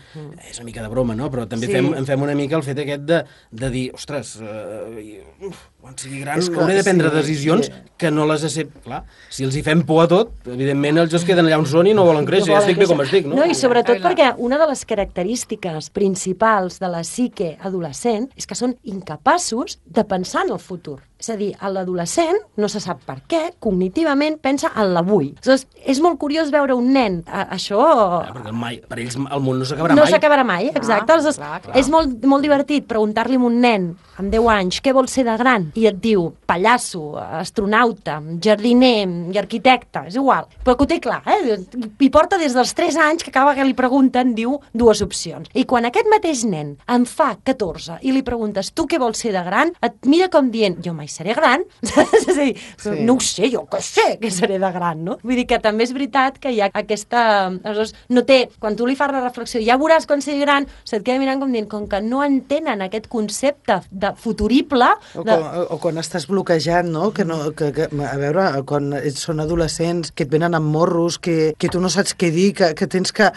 és una mica de broma, no? Però també Sí. fem, en fem una mica el fet aquest de, de dir, ostres, uh, uf, quan sigui gran És que- hauré de prendre sí, decisions sí. que no les accepto. Clar, si els hi fem por a tot, evidentment ells es queden allà on són i no volen créixer, ja estic bé com estic, no? No, i sobretot perquè una de les característiques principals de la psique adolescent és que són incapaços de pensar en el futur. És a dir, l'adolescent, no se sap per què, cognitivament pensa en l'avui. Aleshores, és molt curiós veure un nen, a, això... Clar, perquè mai, per ells el món no s'acabarà No mai. s'acabarà mai, exacte. Aleshores, clar, clar. és molt, molt divertit preguntar-li a un nen amb deu anys què vol ser de gran i et diu pallasso, astronauta, jardiner i arquitecte, és igual. Però que ho té clar, eh? I porta des dels tres anys que cada vegada que li pregunten diu dues opcions. I quan aquest mateix nen en fa catorze i li preguntes tu què vols ser de gran, et mira com dient jo mai seré gran. És a dir, Sí. no ho sé, jo que sé que seré de gran, no? Vull dir que també és veritat que hi ha aquesta... Aleshores, no té... Quan tu li fas la reflexió, ja veuràs quan sigui gran, se't queda mirant com dient, com que no entenen aquest concepte de futurible... O, De... quan, o quan estàs bloquejat, no? Que no que, que, a veure, quan ets- són adolescents, que et venen amb morros, que, que tu no saps què dir, que, que tens que...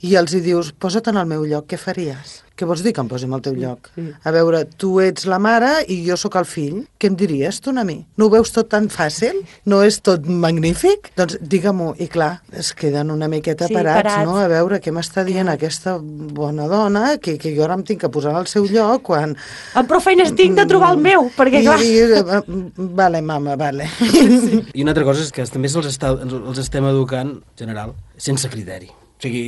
I els hi dius, posa't en el meu lloc, què faries? Què vols dir que em posi en el teu lloc? A veure, tu ets la mare i jo sóc el fill. Què em diries tu a mi? No ho veus tot tan fàcil? No és tot magnífic? Doncs digue-m'ho. I clar, es queden una miqueta Sí, parats, parats. no? A veure què m'està dient aquesta bona dona, que, que jo ara em tinc que posar al seu lloc quan... Amb prou feines tinc de trobar el meu, perquè clar... I, i, eh, vale, mama, vale. I una altra cosa és que també se'ls està, els estem educant, en general, sense criteri. O sigui,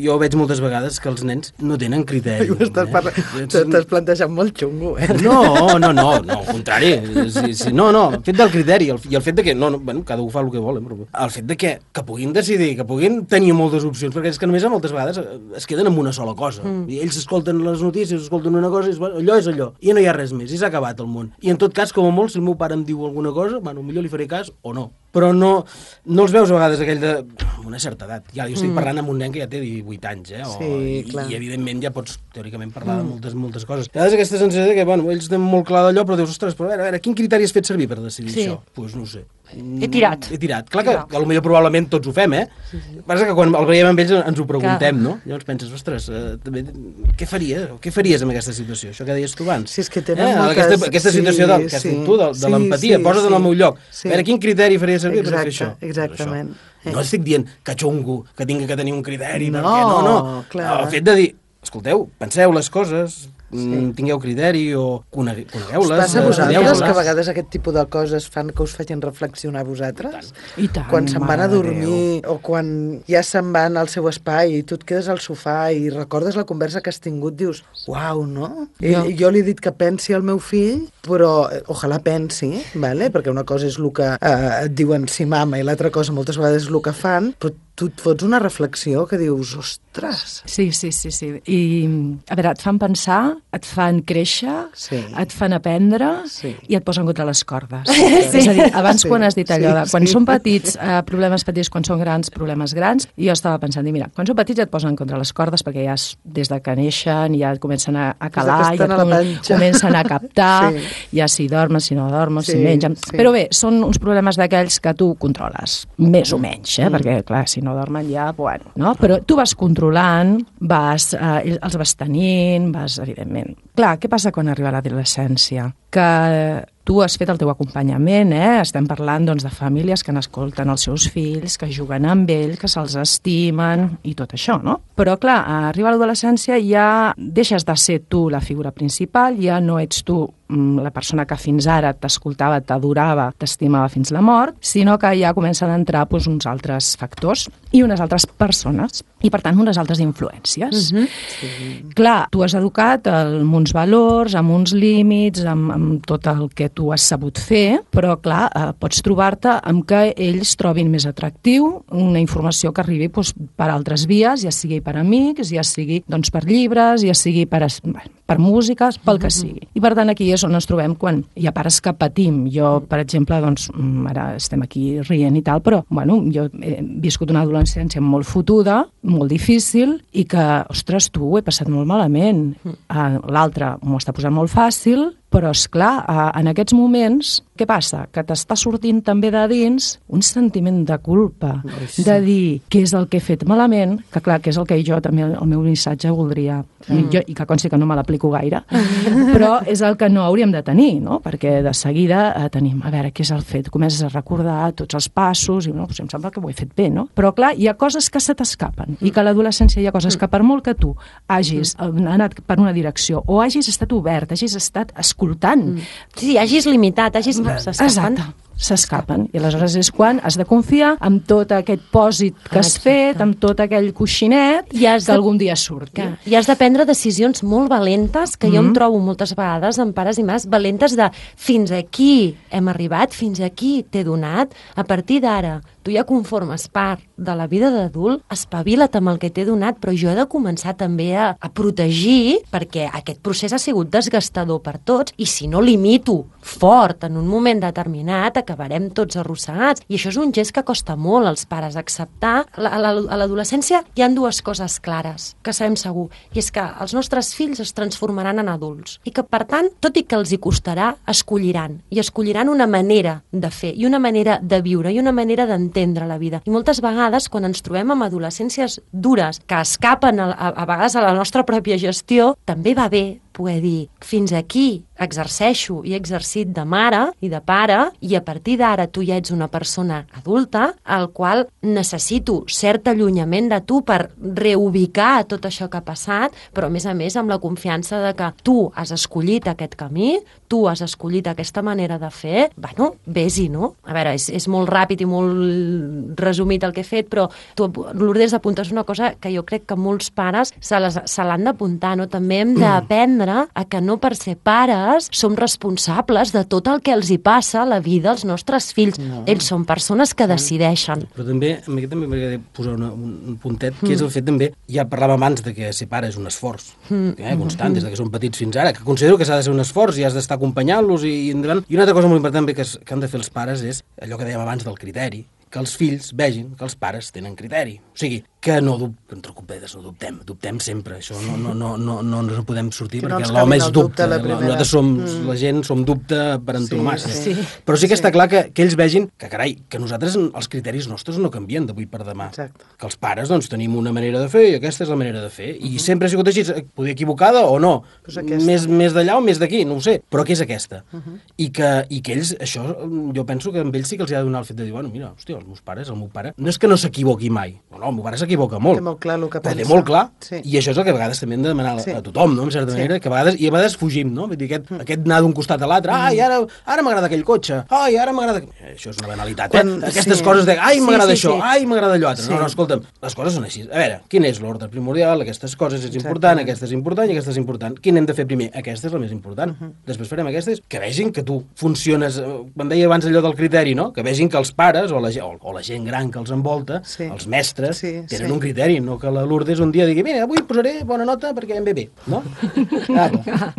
jo veig moltes vegades que els nens no tenen criteri. Estàs, parla... T'estàs plantejant molt xungo, eh? No, no, no, no, al contrari. Sí, sí, no, no, el fet del criteri el, i el fet de que, no, no, bueno, cada un fa el que vol, eh, però el fet de que, que puguin decidir, que puguin tenir moltes opcions, perquè és que només moltes vegades es queden amb una sola cosa. Mm. I ells escolten les notícies, escolten una cosa, i és, allò és allò, i no hi ha res més, i s'ha acabat el món. I en tot cas, com a molt, si el meu pare em diu alguna cosa, bueno, millor li faré cas o no. Però no, no els veus a vegades aquell de... amb una certa edat. Ja, jo estic parlant amb un nen que ja té divuit anys, eh? O, Sí, i, clar. I, evidentment, ja pots, teòricament, parlar de moltes, moltes coses. A vegades aquesta sensació de que, bueno, ells tenen molt clar d'allò, però dius, ostres, però a veure, a veure, quin criteri has fet servir per decidir Sí. això? Doncs pues no ho sé. He tirat. He tirat. Clar que, que potser probablement tots ho fem, eh? Sí, sí. Passa que quan el veiem amb ells ens ho preguntem, no? Llavors penses, ostres, eh, també, què faria? Què faries en aquesta situació? Això que deies tu abans. Si és que tenen eh? moltes... Aquesta, aquesta situació del, que has sí, dit tu, de, de sí, l'empatia, sí, posa't sí. en el meu lloc. Sí. A veure, quin criteri faria servir per fer Exacte, això? exactament. Això. No estic dient que xungo, que tingui que tenir un criteri, No, perquè no, no. clar. El fet de dir, escolteu, penseu les coses, sí. tingueu criteri o conegue, conegueu-les. Us passa a eh, vosaltres estudieu-les. que a vegades aquest tipus de coses fan que us facin reflexionar a vosaltres? I tant, Quan se'n van a mare de dormir o quan ja se'n van al seu espai i tu et quedes al sofà i recordes la conversa que has tingut, dius, uau, no? I, Jo. jo li he dit que pensi al meu fill, però eh, ojalà pensi, vale? Perquè una cosa és el que eh, et diuen sí mama i l'altra cosa moltes vegades és el que fan, però tu et fots una reflexió que dius, ostres... Sí, sí, sí, sí. I, a veure, et fan pensar, et fan créixer, sí. et fan aprendre sí. i et posen contra les cordes. Sí. És a dir, abans sí. quan has dit allò de quan sí. són petits, eh, problemes petits, quan són grans, problemes grans, i jo estava pensant, i mira, quan són petits et posen contra les cordes perquè ja des de que neixen ja et comencen a, a calar, ja et com, comencen a captar, sí. ja si dormen, si no dormen, sí, si mengen... Sí. Però bé, són uns problemes d'aquells que tu controles, més o menys, eh? Mm. perquè, clar, si no dormen ja, bueno, no? Però tu vas controlant, vas, eh, els vas tenint, vas, evidentment... Clar, què passa quan arriba l'adolescència? Que tu has fet el teu acompanyament, eh? Estem parlant doncs, de famílies que n'escolten els seus fills, que juguen amb ells, que se'ls estimen i tot això, no? Però, clar, arriba l'adolescència i ja deixes de ser tu la figura principal, ja no ets tu la persona que fins ara t'escoltava, t'adorava, t'estimava fins la mort, sinó que ja comencen a entrar doncs, uns altres factors i unes altres persones, i per tant unes altres influències. Uh-huh. Sí. Clar, tu has educat amb uns valors, amb uns límits, amb, amb tot el que tu has sabut fer, però clar, eh, pots trobar-te amb que ells trobin més atractiu una informació que arribi doncs, per altres vies, ja sigui per amics, ja sigui doncs, per llibres, ja sigui per, per músiques, pel que sigui. I per tant aquí és on ens trobem quan hi ha pares que patim. Jo, per exemple, doncs, ara estem aquí rient i tal, però bueno, jo he viscut una adolescència molt fotuda, molt difícil, i que, ostres, tu ho he passat molt malament. L'altre m'ho està posant molt fàcil, però, esclar, en aquests moments, què passa? Que t'està sortint també de dins un sentiment de culpa, sí. de dir què és el que he fet malament, que clar, que és el que jo també, el meu missatge voldria, mm. jo, i que consti que no me l'aplico gaire, però és el que no hauríem de tenir, no? Perquè de seguida eh, tenim, a veure, què és el fet? Comences a recordar tots els passos, i no, doncs em sembla que ho he fet bé, no? Però clar, hi ha coses que se t'escapen, mm. i que a l'adolescència hi ha coses que per molt que tu hagis mm. anat per una direcció, o hagis estat obert, hagis estat escoltant. Mm. Sí, hagis limitat, hagis... Exacte, s'escapen. I aleshores és quan has de confiar amb tot aquest pòsit que has Exacte. fet, amb tot aquell coixinet que de... algun dia surti. Que... I has de prendre decisions molt valentes, que mm. jo em trobo moltes vegades amb pares i mares, valentes de fins aquí hem arribat, fins aquí t'he donat, a partir d'ara tu ja conformes part de la vida d'adult, espavila't amb el que t'he donat, però jo he de començar també a, a protegir, perquè aquest procés ha sigut desgastador per tots, i si no limito fort en un moment determinat, acabarem tots arrossegats. I això és un gest que costa molt als pares acceptar. A l'adolescència hi ha dues coses clares, que sabem segur, i és que els nostres fills es transformaran en adults, i que, per tant, tot i que els hi costarà, escolliran, i escolliran una manera de fer, i una manera de viure, i una manera d'entendre la vida. I moltes vegades, quan ens trobem amb adolescències dures, que escapen a, a, a vegades a la nostra pròpia gestió, també va bé poder dir, fins aquí exerceixo i he exercit de mare i de pare, i a partir d'ara tu ja ets una persona adulta al qual necessito cert allunyament de tu per reubicar tot això que ha passat, però a més a més amb la confiança de que tu has escollit aquest camí, tu has escollit aquesta manera de fer, bueno, vés-hi, no? A veure, és, és molt ràpid i molt resumit el que he fet, però tu, Lourdes, apuntes una cosa que jo crec que molts pares se, les, se l'han d'apuntar, no? També hem d'aprendre a que no per ser pares som responsables de tot el que els hi passa a la vida als nostres fills. No. Ells són persones que decideixen. Però també, a mi també m'agradaria posar una, un puntet, que mm. és el fet també, ja parlàvem abans de que ser pare és un esforç, mm. eh, constant, des de que són petits fins ara, que considero que s'ha de ser un esforç i has d'estar acompanyant-los i, i endavant. I una altra cosa molt important que, es, que han de fer els pares és allò que dèiem abans del criteri, que els fills vegin que els pares tenen criteri. O sigui, que no, entre copetes, no dubtem, dubtem sempre, això no, no, no, no, no ens en podem sortir, que perquè no l'home és dubte, nosaltres som, mm. la gent som dubte per antonomàsia. Sí, sí. Però sí que està clar que, que ells vegin que, carai, que nosaltres, els criteris nostres no canvien d'avui per demà. Exacte. Que els pares, doncs, tenim una manera de fer i aquesta és la manera de fer. I uh -huh. sempre ha sigut així, poder equivocada o no, pues més, més d'allà o més d'aquí, no ho sé, però que és aquesta. Uh -huh. I, que, I que ells, això, jo penso que amb ells sí que els ha de donar el fet de dir, bueno, mira, hòstia, els meus pares, el meu pare, no és que no s'equivoqui mai, no, no, el meu pare s'equivoca s'equivoca molt. Té molt clar el que però pensa. té molt clar, sí. i això és el que a vegades també hem de demanar sí. a tothom, no? En certa sí. manera, que a vegades, i a vegades fugim, no? Vull dir, aquest, mm. aquest anar d'un costat a l'altre, ai, ara, ara m'agrada aquell cotxe, ai, ara m'agrada... Això és una banalitat, Quan, eh? Aquestes sí. coses de, ai, m'agrada sí, sí, això, sí. ai, m'agrada allò altre. Sí. No, no, escolta'm, les coses són així. A veure, quin és l'ordre primordial? Aquestes coses és important, aquesta és important i aquesta és important. Quin hem de fer primer? Aquesta és la més important. Uh -huh. Després farem aquestes, que vegin que tu funciones, quan deia abans allò del criteri, no? Que vegin que els pares o la, o, o la gent gran que els envolta, sí. els mestres, sí, tenen sí. un criteri, no que la Lourdes un dia digui, mira, avui posaré bona nota perquè em ve bé, no? Ah,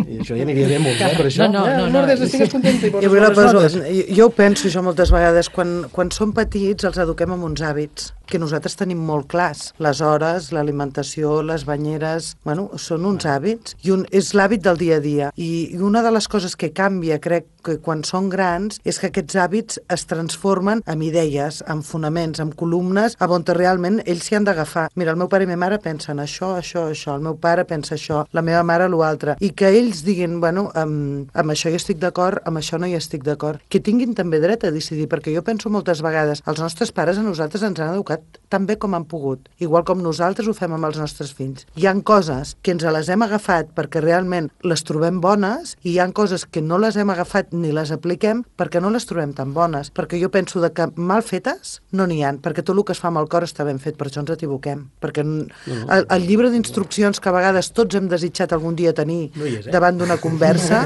i això ja aniria bé molt, eh, per això. No, no, no, no. Lourdes, estigues contenta i poses jo, bones poso, notes. Jo, jo ho penso, jo moltes vegades, quan, quan som petits els eduquem amb uns hàbits que nosaltres tenim molt clars. Les hores, l'alimentació, les banyeres, bueno, són uns hàbits, i un, és l'hàbit del dia a dia. I, I una de les coses que canvia, crec, que quan són grans, és que aquests hàbits es transformen en idees, en fonaments, en columnes, a on realment ells s'hi han d'agafar. Mira, el meu pare i la meva mare pensen això, això, això, el meu pare pensa això, la meva mare l'altre, i que ells diguin, bueno, amb, amb això hi estic d'acord, amb això no hi estic d'acord. Que tinguin també dret a decidir, perquè jo penso moltes vegades, els nostres pares a nosaltres ens han educat tan bé com han pogut, igual com nosaltres ho fem amb els nostres fills. Hi han coses que ens les hem agafat perquè realment les trobem bones, i hi han coses que no les hem agafat ni les apliquem perquè no les trobem tan bones, perquè jo penso de que mal fetes no n'hi ha, perquè tot el que es fa amb el cor està ben fet, per això ens equivoquem, perquè el, el llibre d'instruccions que a vegades tots hem desitjat algun dia tenir no és, eh? davant d'una conversa,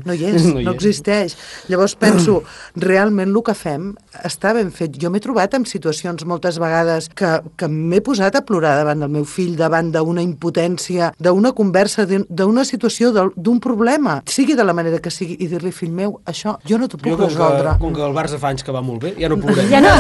no hi és, no, hi no existeix. Llavors penso, realment el que fem està ben fet. Jo m'he trobat en situacions moltes vegades que, que m'he posat a plorar davant del meu fill, davant d'una impotència, d'una conversa, d'una situació, d'un problema, sigui de la manera que sigui, i dir-li, fill meu, això jo no t'ho puc jo, resoldre. Que, com que el Barça fa anys que va molt bé, ja no plorem. Ja no,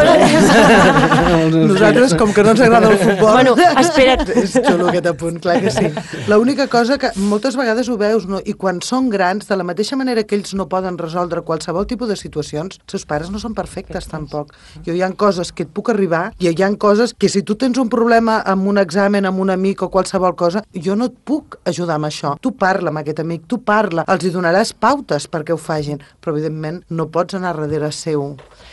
nosaltres, com que no ens agrada el futbol... Bueno, espera't. És xulo aquest apunt, clar que sí. L'única cosa que moltes vegades ho veus, no? I quan són grans, de la mateixa manera que ells no poden resoldre qualsevol tipus de situacions, els seus pares no són perfectes tampoc. Jo hi ha coses que et puc arribar i hi ha coses que si tu tens un problema amb un examen, amb un amic o qualsevol cosa, jo no et puc ajudar amb això. Tu parla amb aquest amic, tu parla, els hi donaràs pautes perquè ho facin, però evidentment no pots anar darrere seu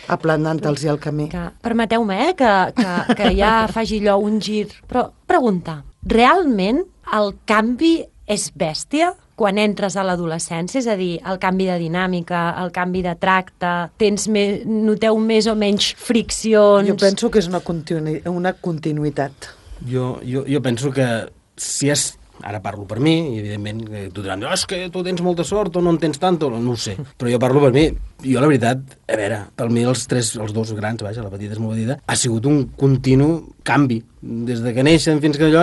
aplanant-los el camí. Permeteu-me eh, que, que, que ja faci allò un gir, però pregunta, realment el canvi és bèstia quan entres a l'adolescència? És a dir, el canvi de dinàmica, el canvi de tracte, tens més, noteu més o menys friccions? Jo penso que és una, continu una continuïtat. Jo, jo, jo penso que si és... Ara parlo per mi, i evidentment tu diran, oh, és que tu tens molta sort o no en tens tant, no ho sé, però jo parlo per mi. Jo, la veritat, a veure, per mi els tres, els dos grans, vaja, la petita és molt petita, ha sigut un continu canvi. Des de que neixen fins que allò,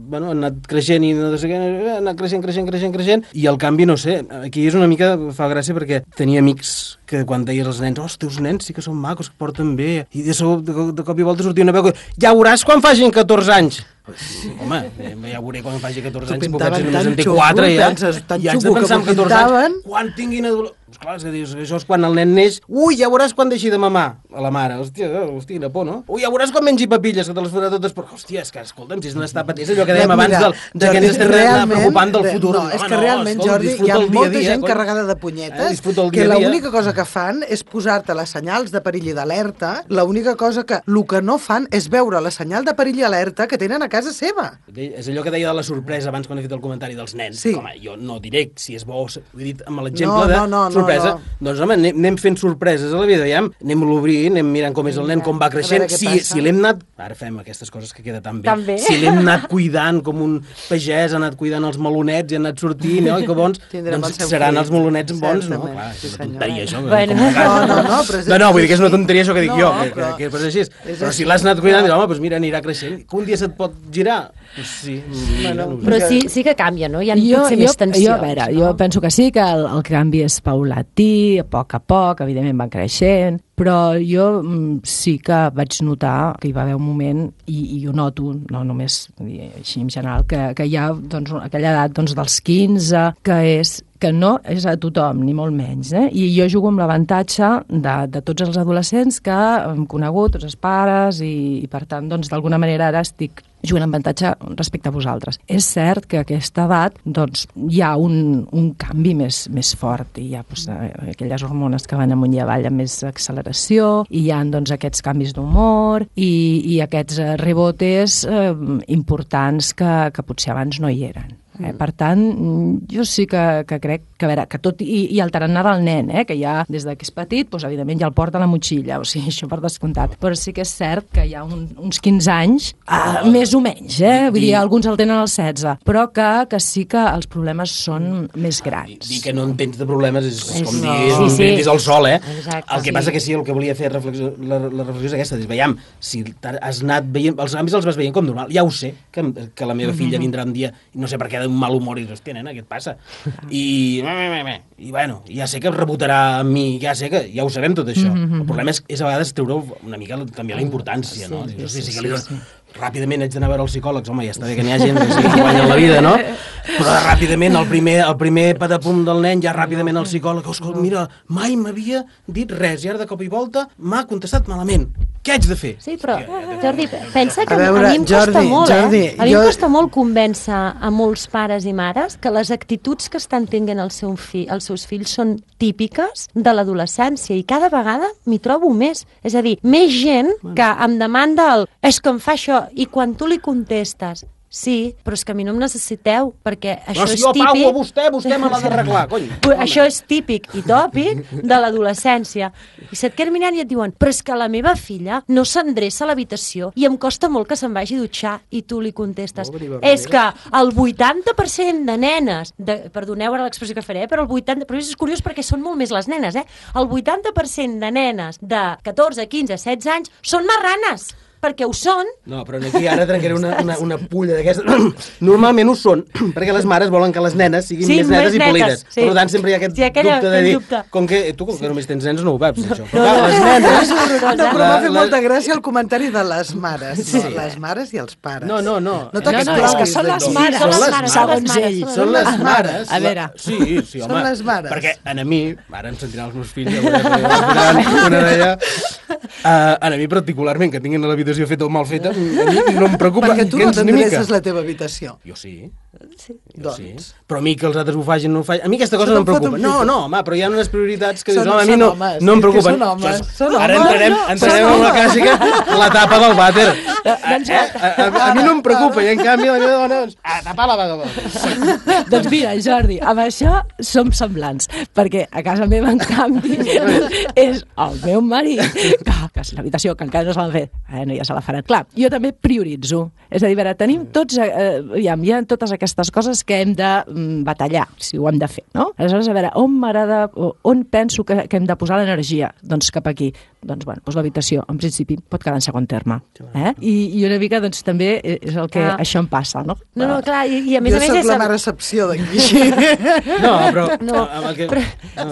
bueno, han anat creixent i no sé què, han anat creixent, creixent, creixent, creixent, i el canvi, no sé, aquí és una mica, fa gràcia perquè tenia amics que quan deies als nens, oh, els teus nens sí que són macos, que porten bé, i de, de, de cop i volta sortia una veu que, ja veuràs quan facin catorze anys. Home, ja veuré quan faci catorze anys, pobets només en té quatre, ja, i haig de pensar en catorze anys, quan tinguin adolescents... Clar, és a dir, això és quan el nen neix, ui, ja veuràs quan deixi de mamar a la mare, hòstia, hòstia, quina por, no? Ui, ja veuràs quan mengi papilles, que te les fotrà totes, però, hòstia, és que, escolta'm, si és n'està patint, és allò que dèiem abans del, de que ens estem preocupant del futur. No, és que realment, Jordi, hi ha molta gent carregada de punyetes que l'única cosa que fan és posar-te les senyals de perill i d'alerta, l'única cosa que, el que no fan és veure la senyal de perill i alerta que tenen a casa seva. És allò que deia de la sorpresa abans quan he fet el comentari dels nens. Sí. Home, jo no diré si és bo, ho he dit amb l'exemple de sorpresa. Doncs, home, anem, anem fent sorpreses a la vida, ja? Anem l'obrint, anem mirant com és el nen, com va creixent. Si, si l'hem anat... Ara fem aquestes coses que queda tan bé. Tan bé. Si l'hem anat cuidant com un pagès, ha anat cuidant els melonets i ha anat sortint, no? I que bons, doncs seran els melonets bons, no? Clar, és una tonteria, això. Bueno. No, no, no, però és... No, no, vull dir que és una tonteria això que dic no, jo, que, però... que, que és així. Però si l'has anat cuidant, home, doncs mira, anirà creixent. Que un dia se't pot girar? Pues sí. Bueno, però sí, sí que canvia, no? Hi ha jo, potser jo, més tensions. Jo, a veure, no? jo penso que sí, que el, el canvi és paulatí, a poc a poc, evidentment van creixent, però jo mm, sí que vaig notar que hi va haver un moment, i, i ho noto, no només així en general, que, que hi ha doncs, aquella edat doncs, dels quinze, que és que no és a tothom, ni molt menys. Eh? I jo jugo amb l'avantatge de, de tots els adolescents que hem conegut, tots els pares, i, i per tant, doncs, d'alguna manera ara estic juguen amb avantatge respecte a vosaltres. És cert que a aquesta edat doncs, hi ha un, un canvi més, més fort, i hi ha doncs, aquelles hormones que van amunt i avall amb més acceleració, i hi ha doncs, aquests canvis d'humor i, i aquests rebotes eh, importants que, que potser abans no hi eren. Eh? Per tant, jo sí que, que crec que, a veure, que tot, i, i el tarannà del nen, eh? Que ja des que és petit, doncs, evidentment ja el porta a la motxilla, o sigui, això per descomptat. Però sí que és cert que hi ha un, uns quinze anys, uh, més o menys, eh? Vull dir, alguns el tenen als setze, però que, que sí que els problemes són més grans. Dir que no en tens de problemes és, és com no. dir, Sí, sí. és el sol, eh? Exacte, el que sí. passa que sí, el que volia fer reflexió, la, la reflexió és aquesta, és, veiem, si has anat veient, els canvis els vas veient com normal, ja ho sé, que, que la meva filla vindrà un dia, i no sé per què d'un mal humor, i dius, hòstia, nena, què et passa? I, i bueno, ja sé que rebotarà amb mi, ja sé que, ja ho sabem tot això. El problema és, és a vegades treure una mica també la importància, no? Sí, Dius, sí, sí, sí, sí, que li sí, dones, sí. ràpidament haig d'anar a veure els psicòlegs, home, ja està bé que n'hi ha gent que sí que guanyen la vida, no? Però ràpidament, el primer, el primer patapum del nen, ja ràpidament el psicòleg, escolta, mira, mai m'havia dit res, i ara de cop i volta m'ha contestat malament. Què haig de fer? Sí, però, Jordi, pensa que A a, veure, a mi em costa Jordi, molt, Jordi, eh? A mi jo- em costa molt convèncer a molts pares i mares que les actituds que estan tenint el seu fi, els seus fills són típiques de l'adolescència, i cada vegada m'hi trobo més. És a dir, més gent que em demanda el és que em fa això, i quan tu li contestes sí, però és que a mi no em necessiteu, perquè això Però si és jo típic... pago a vostè, vostè me l'ha d'arreglar, cony. Però això és típic i tòpic de l'adolescència. I se't queden mirant i et diuen però és que la meva filla no s'endreça a l'habitació i em costa molt que se'n vagi a dutxar, i tu li contestes és que el vuitanta per cent de nenes, de, perdoneu ara l'expressió que faré, però el vuitanta per cent, però és curiós perquè són molt més les nenes, eh? El vuitanta per cent de nenes de catorze, quinze, setze anys són marranes, perquè ho són. No, però aquí ara trencaré una, una, una pulla d'aquestes. Normalment ho són, perquè les mares volen que les nenes siguin Sí, més netes més i netes, polides. sí. Per tant, sempre hi ha aquest Sí, aquella- dubte de aquell dir... dubte. Com que tu, com que només tens nens, no ho veus, això. No, Però clar, no, les no, nenes... és horrorós, No, eh? però m'ha fet La- molta gràcia el comentari de les mares. Sí. No, les mares i els pares. No, no, no. No No, t'excloguis no, és que són de les tot. mares, són les les mares, segons són les ell. mares, Són les mares. A veure. La... Sí, sí, home. Són les mares. Perquè a mi, ara em sentiran els meus fills, ja veurem, una d'ella, uh, a mi particularment, que tinguin l'habitació feta o mal feta, a mi no em preocupa Perquè tu no gens ni mica. t'endreces la teva habitació. Jo sí. Sí. Jo Doncs. sí. Però a mi que els altres ho facin, no ho facin... A mi aquesta cosa Això no em te'n fot preocupa. un No, pito. no, home, però hi ha unes prioritats que dius, Són- home, a mi són no, homes, no em és que preocupen. són homes, Això és- són Ara homes. entrarem, No, entrarem són en la homes. clàssica, la tapa del vàter. Eh, a, a, a mi no em preocupa, i en canvi la meva dona, doncs, a tapar la vagabonda. Doncs mira, Jordi, amb això som semblants, perquè a casa meva, en canvi, és el meu marit, que, que és l'habitació, que encara no se l'han fet, bueno, ja se la faran. Clar, jo també prioritzo. És a dir, a veure, tenim tots, eh, ja, hi ha totes aquestes coses que hem de mm, batallar, si ho hem de fer, no? Aleshores, a veure, on m'agrada, on penso que, que hem de posar l'energia? Doncs cap aquí. Doncs, bueno, doncs l'habitació, en principi, pot quedar en segon terme. Eh? I, I una mica, doncs, també és el que Ah. això em passa, no? No, no, clar, i, i a més Jo a més soc és... la el- mare excepció d'aquí. No, però... No, amb el que... però,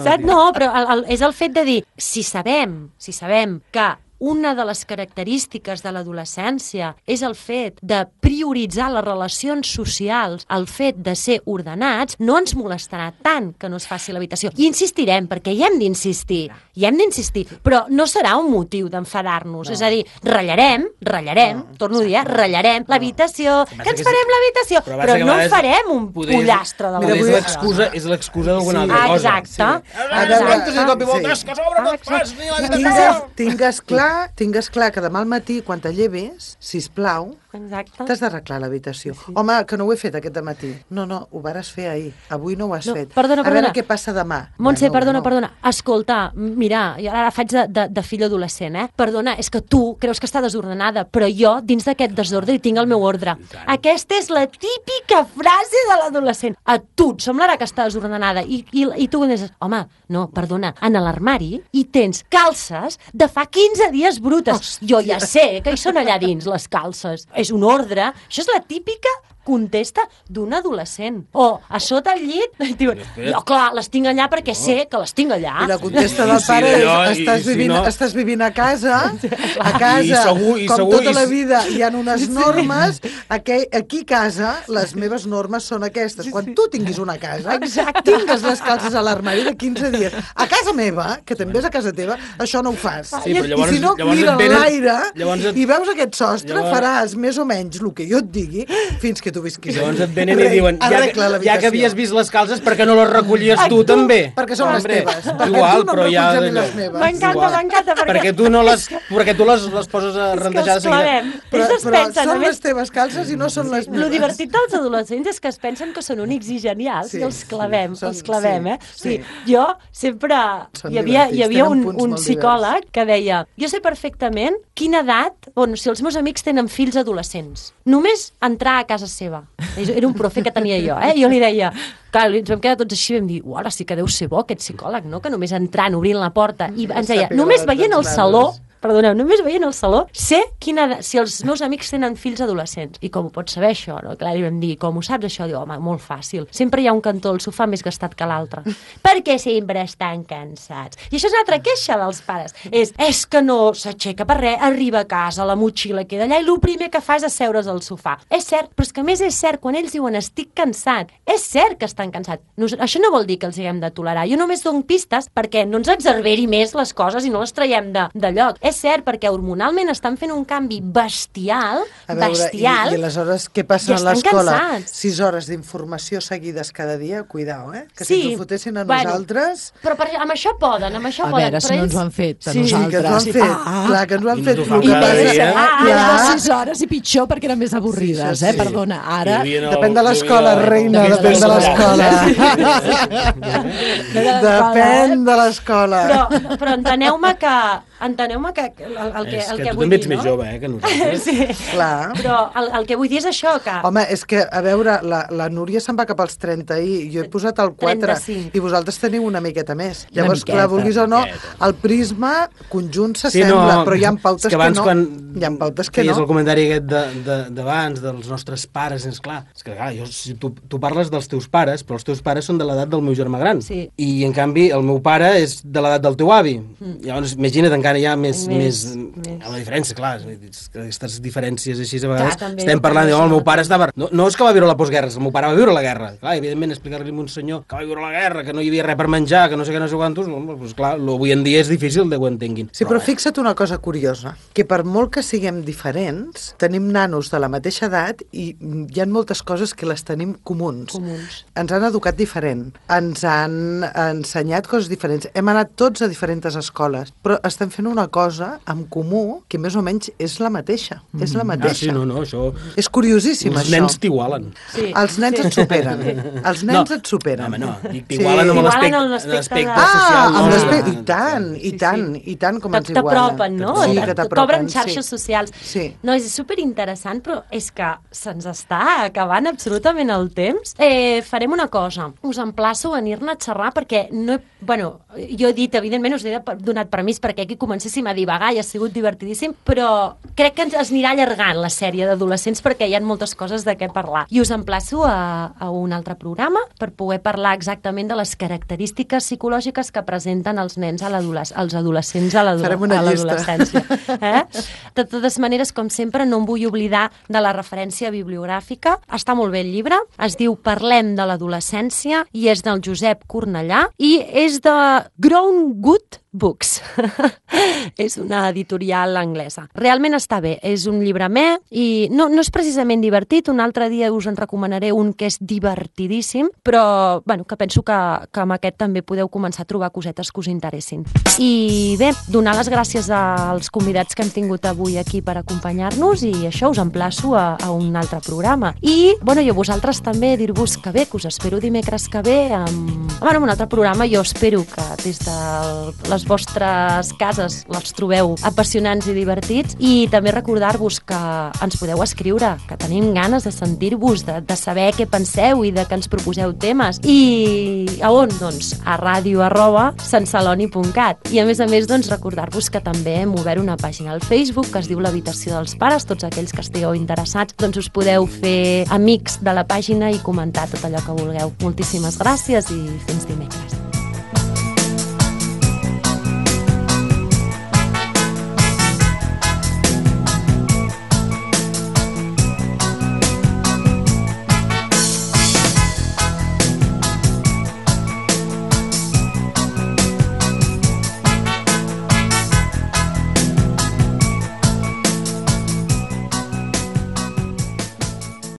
saps? No, però el, el, és el fet de dir, si sabem, si sabem que una de les característiques de l'adolescència és el fet de prioritzar les relacions socials, el fet de ser ordenats, no ens molestarà tant que no es faci l'habitació. I insistirem, perquè hi hem d'insistir, hi hem d'insistir, però no serà un motiu d'enfadar-nos. No. És a dir, ratllarem, ratllarem, no. torno a dir, eh, ratllarem l'habitació, que ens farem l'habitació, però, però no en farem un pollastre de Mira, és l'habitació. l'excusa, és l'excusa d'alguna Sí. altra cosa. Exacte. Sí. A veure, I de cop i volta, sí. és que sobre no et fas ni la Tingues, habitació. tingues clar, tingues clar que demà al matí, quan te lleves, sisplau, Exacte. t'has d'arreglar l'habitació. Sí. Home, que no ho he fet aquest matí. No, no, ho vares fer ahir. Avui no ho has No, fet. perdona, A veure perdona. què passa demà. Montse, Bueno, perdona, no. perdona. Escolta, mira, jo ara faig de, de, de fill adolescent, eh? Perdona, és que tu creus que està desordenada, però jo, dins d'aquest desordre, hi tinc el meu ordre. Aquesta és la típica frase de l'adolescent. A tu et semblarà que està desordenada i, i, i tu dius, home, no, perdona, en l'armari hi tens calces de fa quinze dies brutes. Jo ja sé que hi són allà dins, les calces. És un ordre. Això és la típica contesta d'un adolescent. O a sota el llit, i diuen, jo, clar, les tinc allà perquè sé que les tinc allà. I la contesta del Sí, pare allò, és, i- estàs, i si vivint, no- estàs vivint a casa, a I casa, segur- i com segur- tota i la s- vida, hi ha unes normes, aquí, aquí a casa, les meves normes són aquestes. Quan tu tinguis una casa, tingues les calces a l'armari de quinze dies. A casa meva, que també és a casa teva, això no ho fas. Sí, però llavors- I si no, llavors mira et venen- l'aire llavors et- i veus aquest sostre, llavors- faràs més o menys el que jo et digui fins que tu visquis. Llavors allí. et venen i Rei, diuen, ja que, arregla ja l'habitació. que havies vist les calces, per què no les recollies tu també? Perquè són les Hombre, teves. Perquè igual, tu no em però ja... reculls a mi les meves. M'encanta, Igual. m'encanta, perquè... Perquè tu, no les, perquè tu les, les poses a És que rentejar de els seguida. clavem. Però, Ells es però pensen, a són més, les teves calces i no són les meves. lo divertit dels adolescents és que es pensen que són únics i genials Sí, i els clavem, sí, són- els clavem, sí, eh? sí. Sí. Jo sempre... Són Hi havia, hi divertits, havia tenen un, punts un molt psicòleg que deia jo sé perfectament quina edat, bueno, si els meus amics tenen fills adolescents, només entrar a casa seva. Era un profe que tenia jo, eh? Jo li deia, clar, ens vam quedar tots així i vam dir, uau, sí que deu ser bo aquest psicòleg, no? Que només entrant, obrint la porta, i ens deia, Sàpiga només l'edat veient el dels saló, nanos. perdoneu, només veient el saló, sé quina edat, si els meus amics tenen fills adolescents. I com ho pots saber, això? No? Clar, li vam dir, com ho saps, això? Diu, home, molt fàcil. Sempre hi ha un cantó al sofà més gastat que l'altre. Perquè sempre estan cansats. I això és una altra queixa dels pares. És, és que no s'aixeca per res, arriba a casa, la motxilla queda allà i el primer que fa és asseure's al sofà. És cert, però és que a més és cert, quan ells diuen estic cansat, és cert que estan cansats. Nos, això no vol dir que els haguem de tolerar. Jo només dono pistes perquè no ens exagerberi més les coses i no les traiem de, de lloc. És cert, perquè hormonalment estan fent un canvi bestial, A veure, bestial, i, i aleshores què passa i a estan l'escola? cansats. Sis hores d'informació seguides cada dia, cuidao, eh? Que Sí, si ens ho fotessin a bueno, nosaltres... però per, amb això poden, amb això A poden. veure, si però no ens ells- ho han fet a Sí, Sí, que ens ho han nosaltres. fet. Ah. Clar, que ens ho han I no fet. t'ho fan el que I cada passa- més, dia. eh? Ah, I clar. les sis hores i pitjor perquè eren més avorrides, Sí, eh? sí. Perdona, ara... Hi havia el- Depèn de l'escola, hi havia el- reina, Depèn de depèn de l'escola. l'escola. Depèn de l'escola. Però, però enteneu-me que... Enteneu-me que el, el que, És el que que tu vull també dir, ets més no? jove, eh, que nosaltres. Sí. Clar. Però el, el que vull dir és això, que... Home, és que, a veure, la, la Núria se'n va cap als trenta i jo he posat el quatre trenta-cinc. i vosaltres teniu una miqueta més. Una Llavors, miqueta, clar, vulguis o no, miqueta. el prisma conjunt Sí, s'assembla, no, però hi ha pautes és que que, abans no. quan Hi ha pautes que feies no. el comentari aquest de- de- d'abans, de, dels nostres pares, és clar, és que clar, jo, si tu, tu parles dels teus pares, però els teus pares són de l'edat del meu germà gran. Sí. I, en canvi, el meu pare és de l'edat del teu avi. Mm. Llavors, imagina't, encara hi ha més... Més- més, més. la diferència, clar, és que aquestes diferències així a vegades Clar, també, estem jo parlant, també de, oh, el això meu pare també. estava... No, no és que va viure la postguerra, el meu pare va viure la guerra. Clar, evidentment, explicar-li a un senyor que va viure la guerra, que no hi havia res per menjar, que no sé què, no sé quantos, no, doncs clar, lo, avui en dia és difícil de que ho entenguin. Sí, però fixa't una cosa curiosa, que per molt que siguem diferents, tenim nanos de la mateixa edat i hi ha moltes coses que les tenim comuns. Comuns. Ens han educat diferent, ens han ensenyat coses diferents, hem anat tots a diferents escoles, però estem fent una cosa en comú que més o menys és la mateixa, mm. és la Ah, mateixa. sí, no, no, això... És curiosíssim, Els això. nens t'igualen. Sí. Els nens et superen. Els nens et superen. Home, no, dic, t'igualen amb T'igualen l'aspecte en l'aspecte l'aspecte de- social. Ah, no? amb no, l'aspecte... no, I tant, i tant, i tant com ens igualen. T'apropen, no? Sí, Et- que et t'apropen, T'obren xarxes sí. socials. Sí. No, és superinteressant, però és que se'ns està acabant absolutament el temps. Eh, farem una cosa. Us emplaço a venir-ne a xerrar perquè no he... Bueno, jo he dit, evidentment, us he donat permís perquè aquí comencéssim a divagar i ha sigut divertidíssim, però crec que ens es anirà allargant la sèrie d'adolescents perquè hi ha moltes coses de què parlar. I us emplaço a, a un altre programa per poder parlar exactament de les característiques psicològiques que presenten els nens a l'adolesc- els adolescents a l'ado- Farem una a llista. l'adolescència. Eh? De totes maneres, com sempre, no em vull oblidar de la referència bibliogràfica. Està molt bé el llibre, es diu Parlem de l'adolescència i és del Josep Cornellà i és de Grown Good Books. És una editorial anglesa. Realment està bé, és un llibre me i no, no és precisament divertit, un altre dia us en recomanaré un que és divertidíssim, però bueno, que penso que, que amb aquest també podeu començar a trobar cosetes que us interessin. I bé, donar les gràcies als convidats que hem tingut avui aquí per acompanyar-nos i això, us emplaço a, a un altre programa. I, bueno, i a vosaltres també dir-vos que bé, que us espero dimecres que ve amb, bueno, amb un altre programa. Jo espero que des de les les vostres cases les trobeu apassionants i divertits, i també recordar-vos que ens podeu escriure, que tenim ganes de sentir-vos, de, de saber què penseu i de que ens proposeu temes. I a on? Doncs a ràdio arroba santceloni punt cat. I a més a més, doncs, recordar-vos que també hem obert una pàgina al Facebook que es diu l'Habitació dels Pares. Tots aquells que estigueu interessats, doncs us podeu fer amics de la pàgina i comentar tot allò que vulgueu. Moltíssimes gràcies i fins dimecres.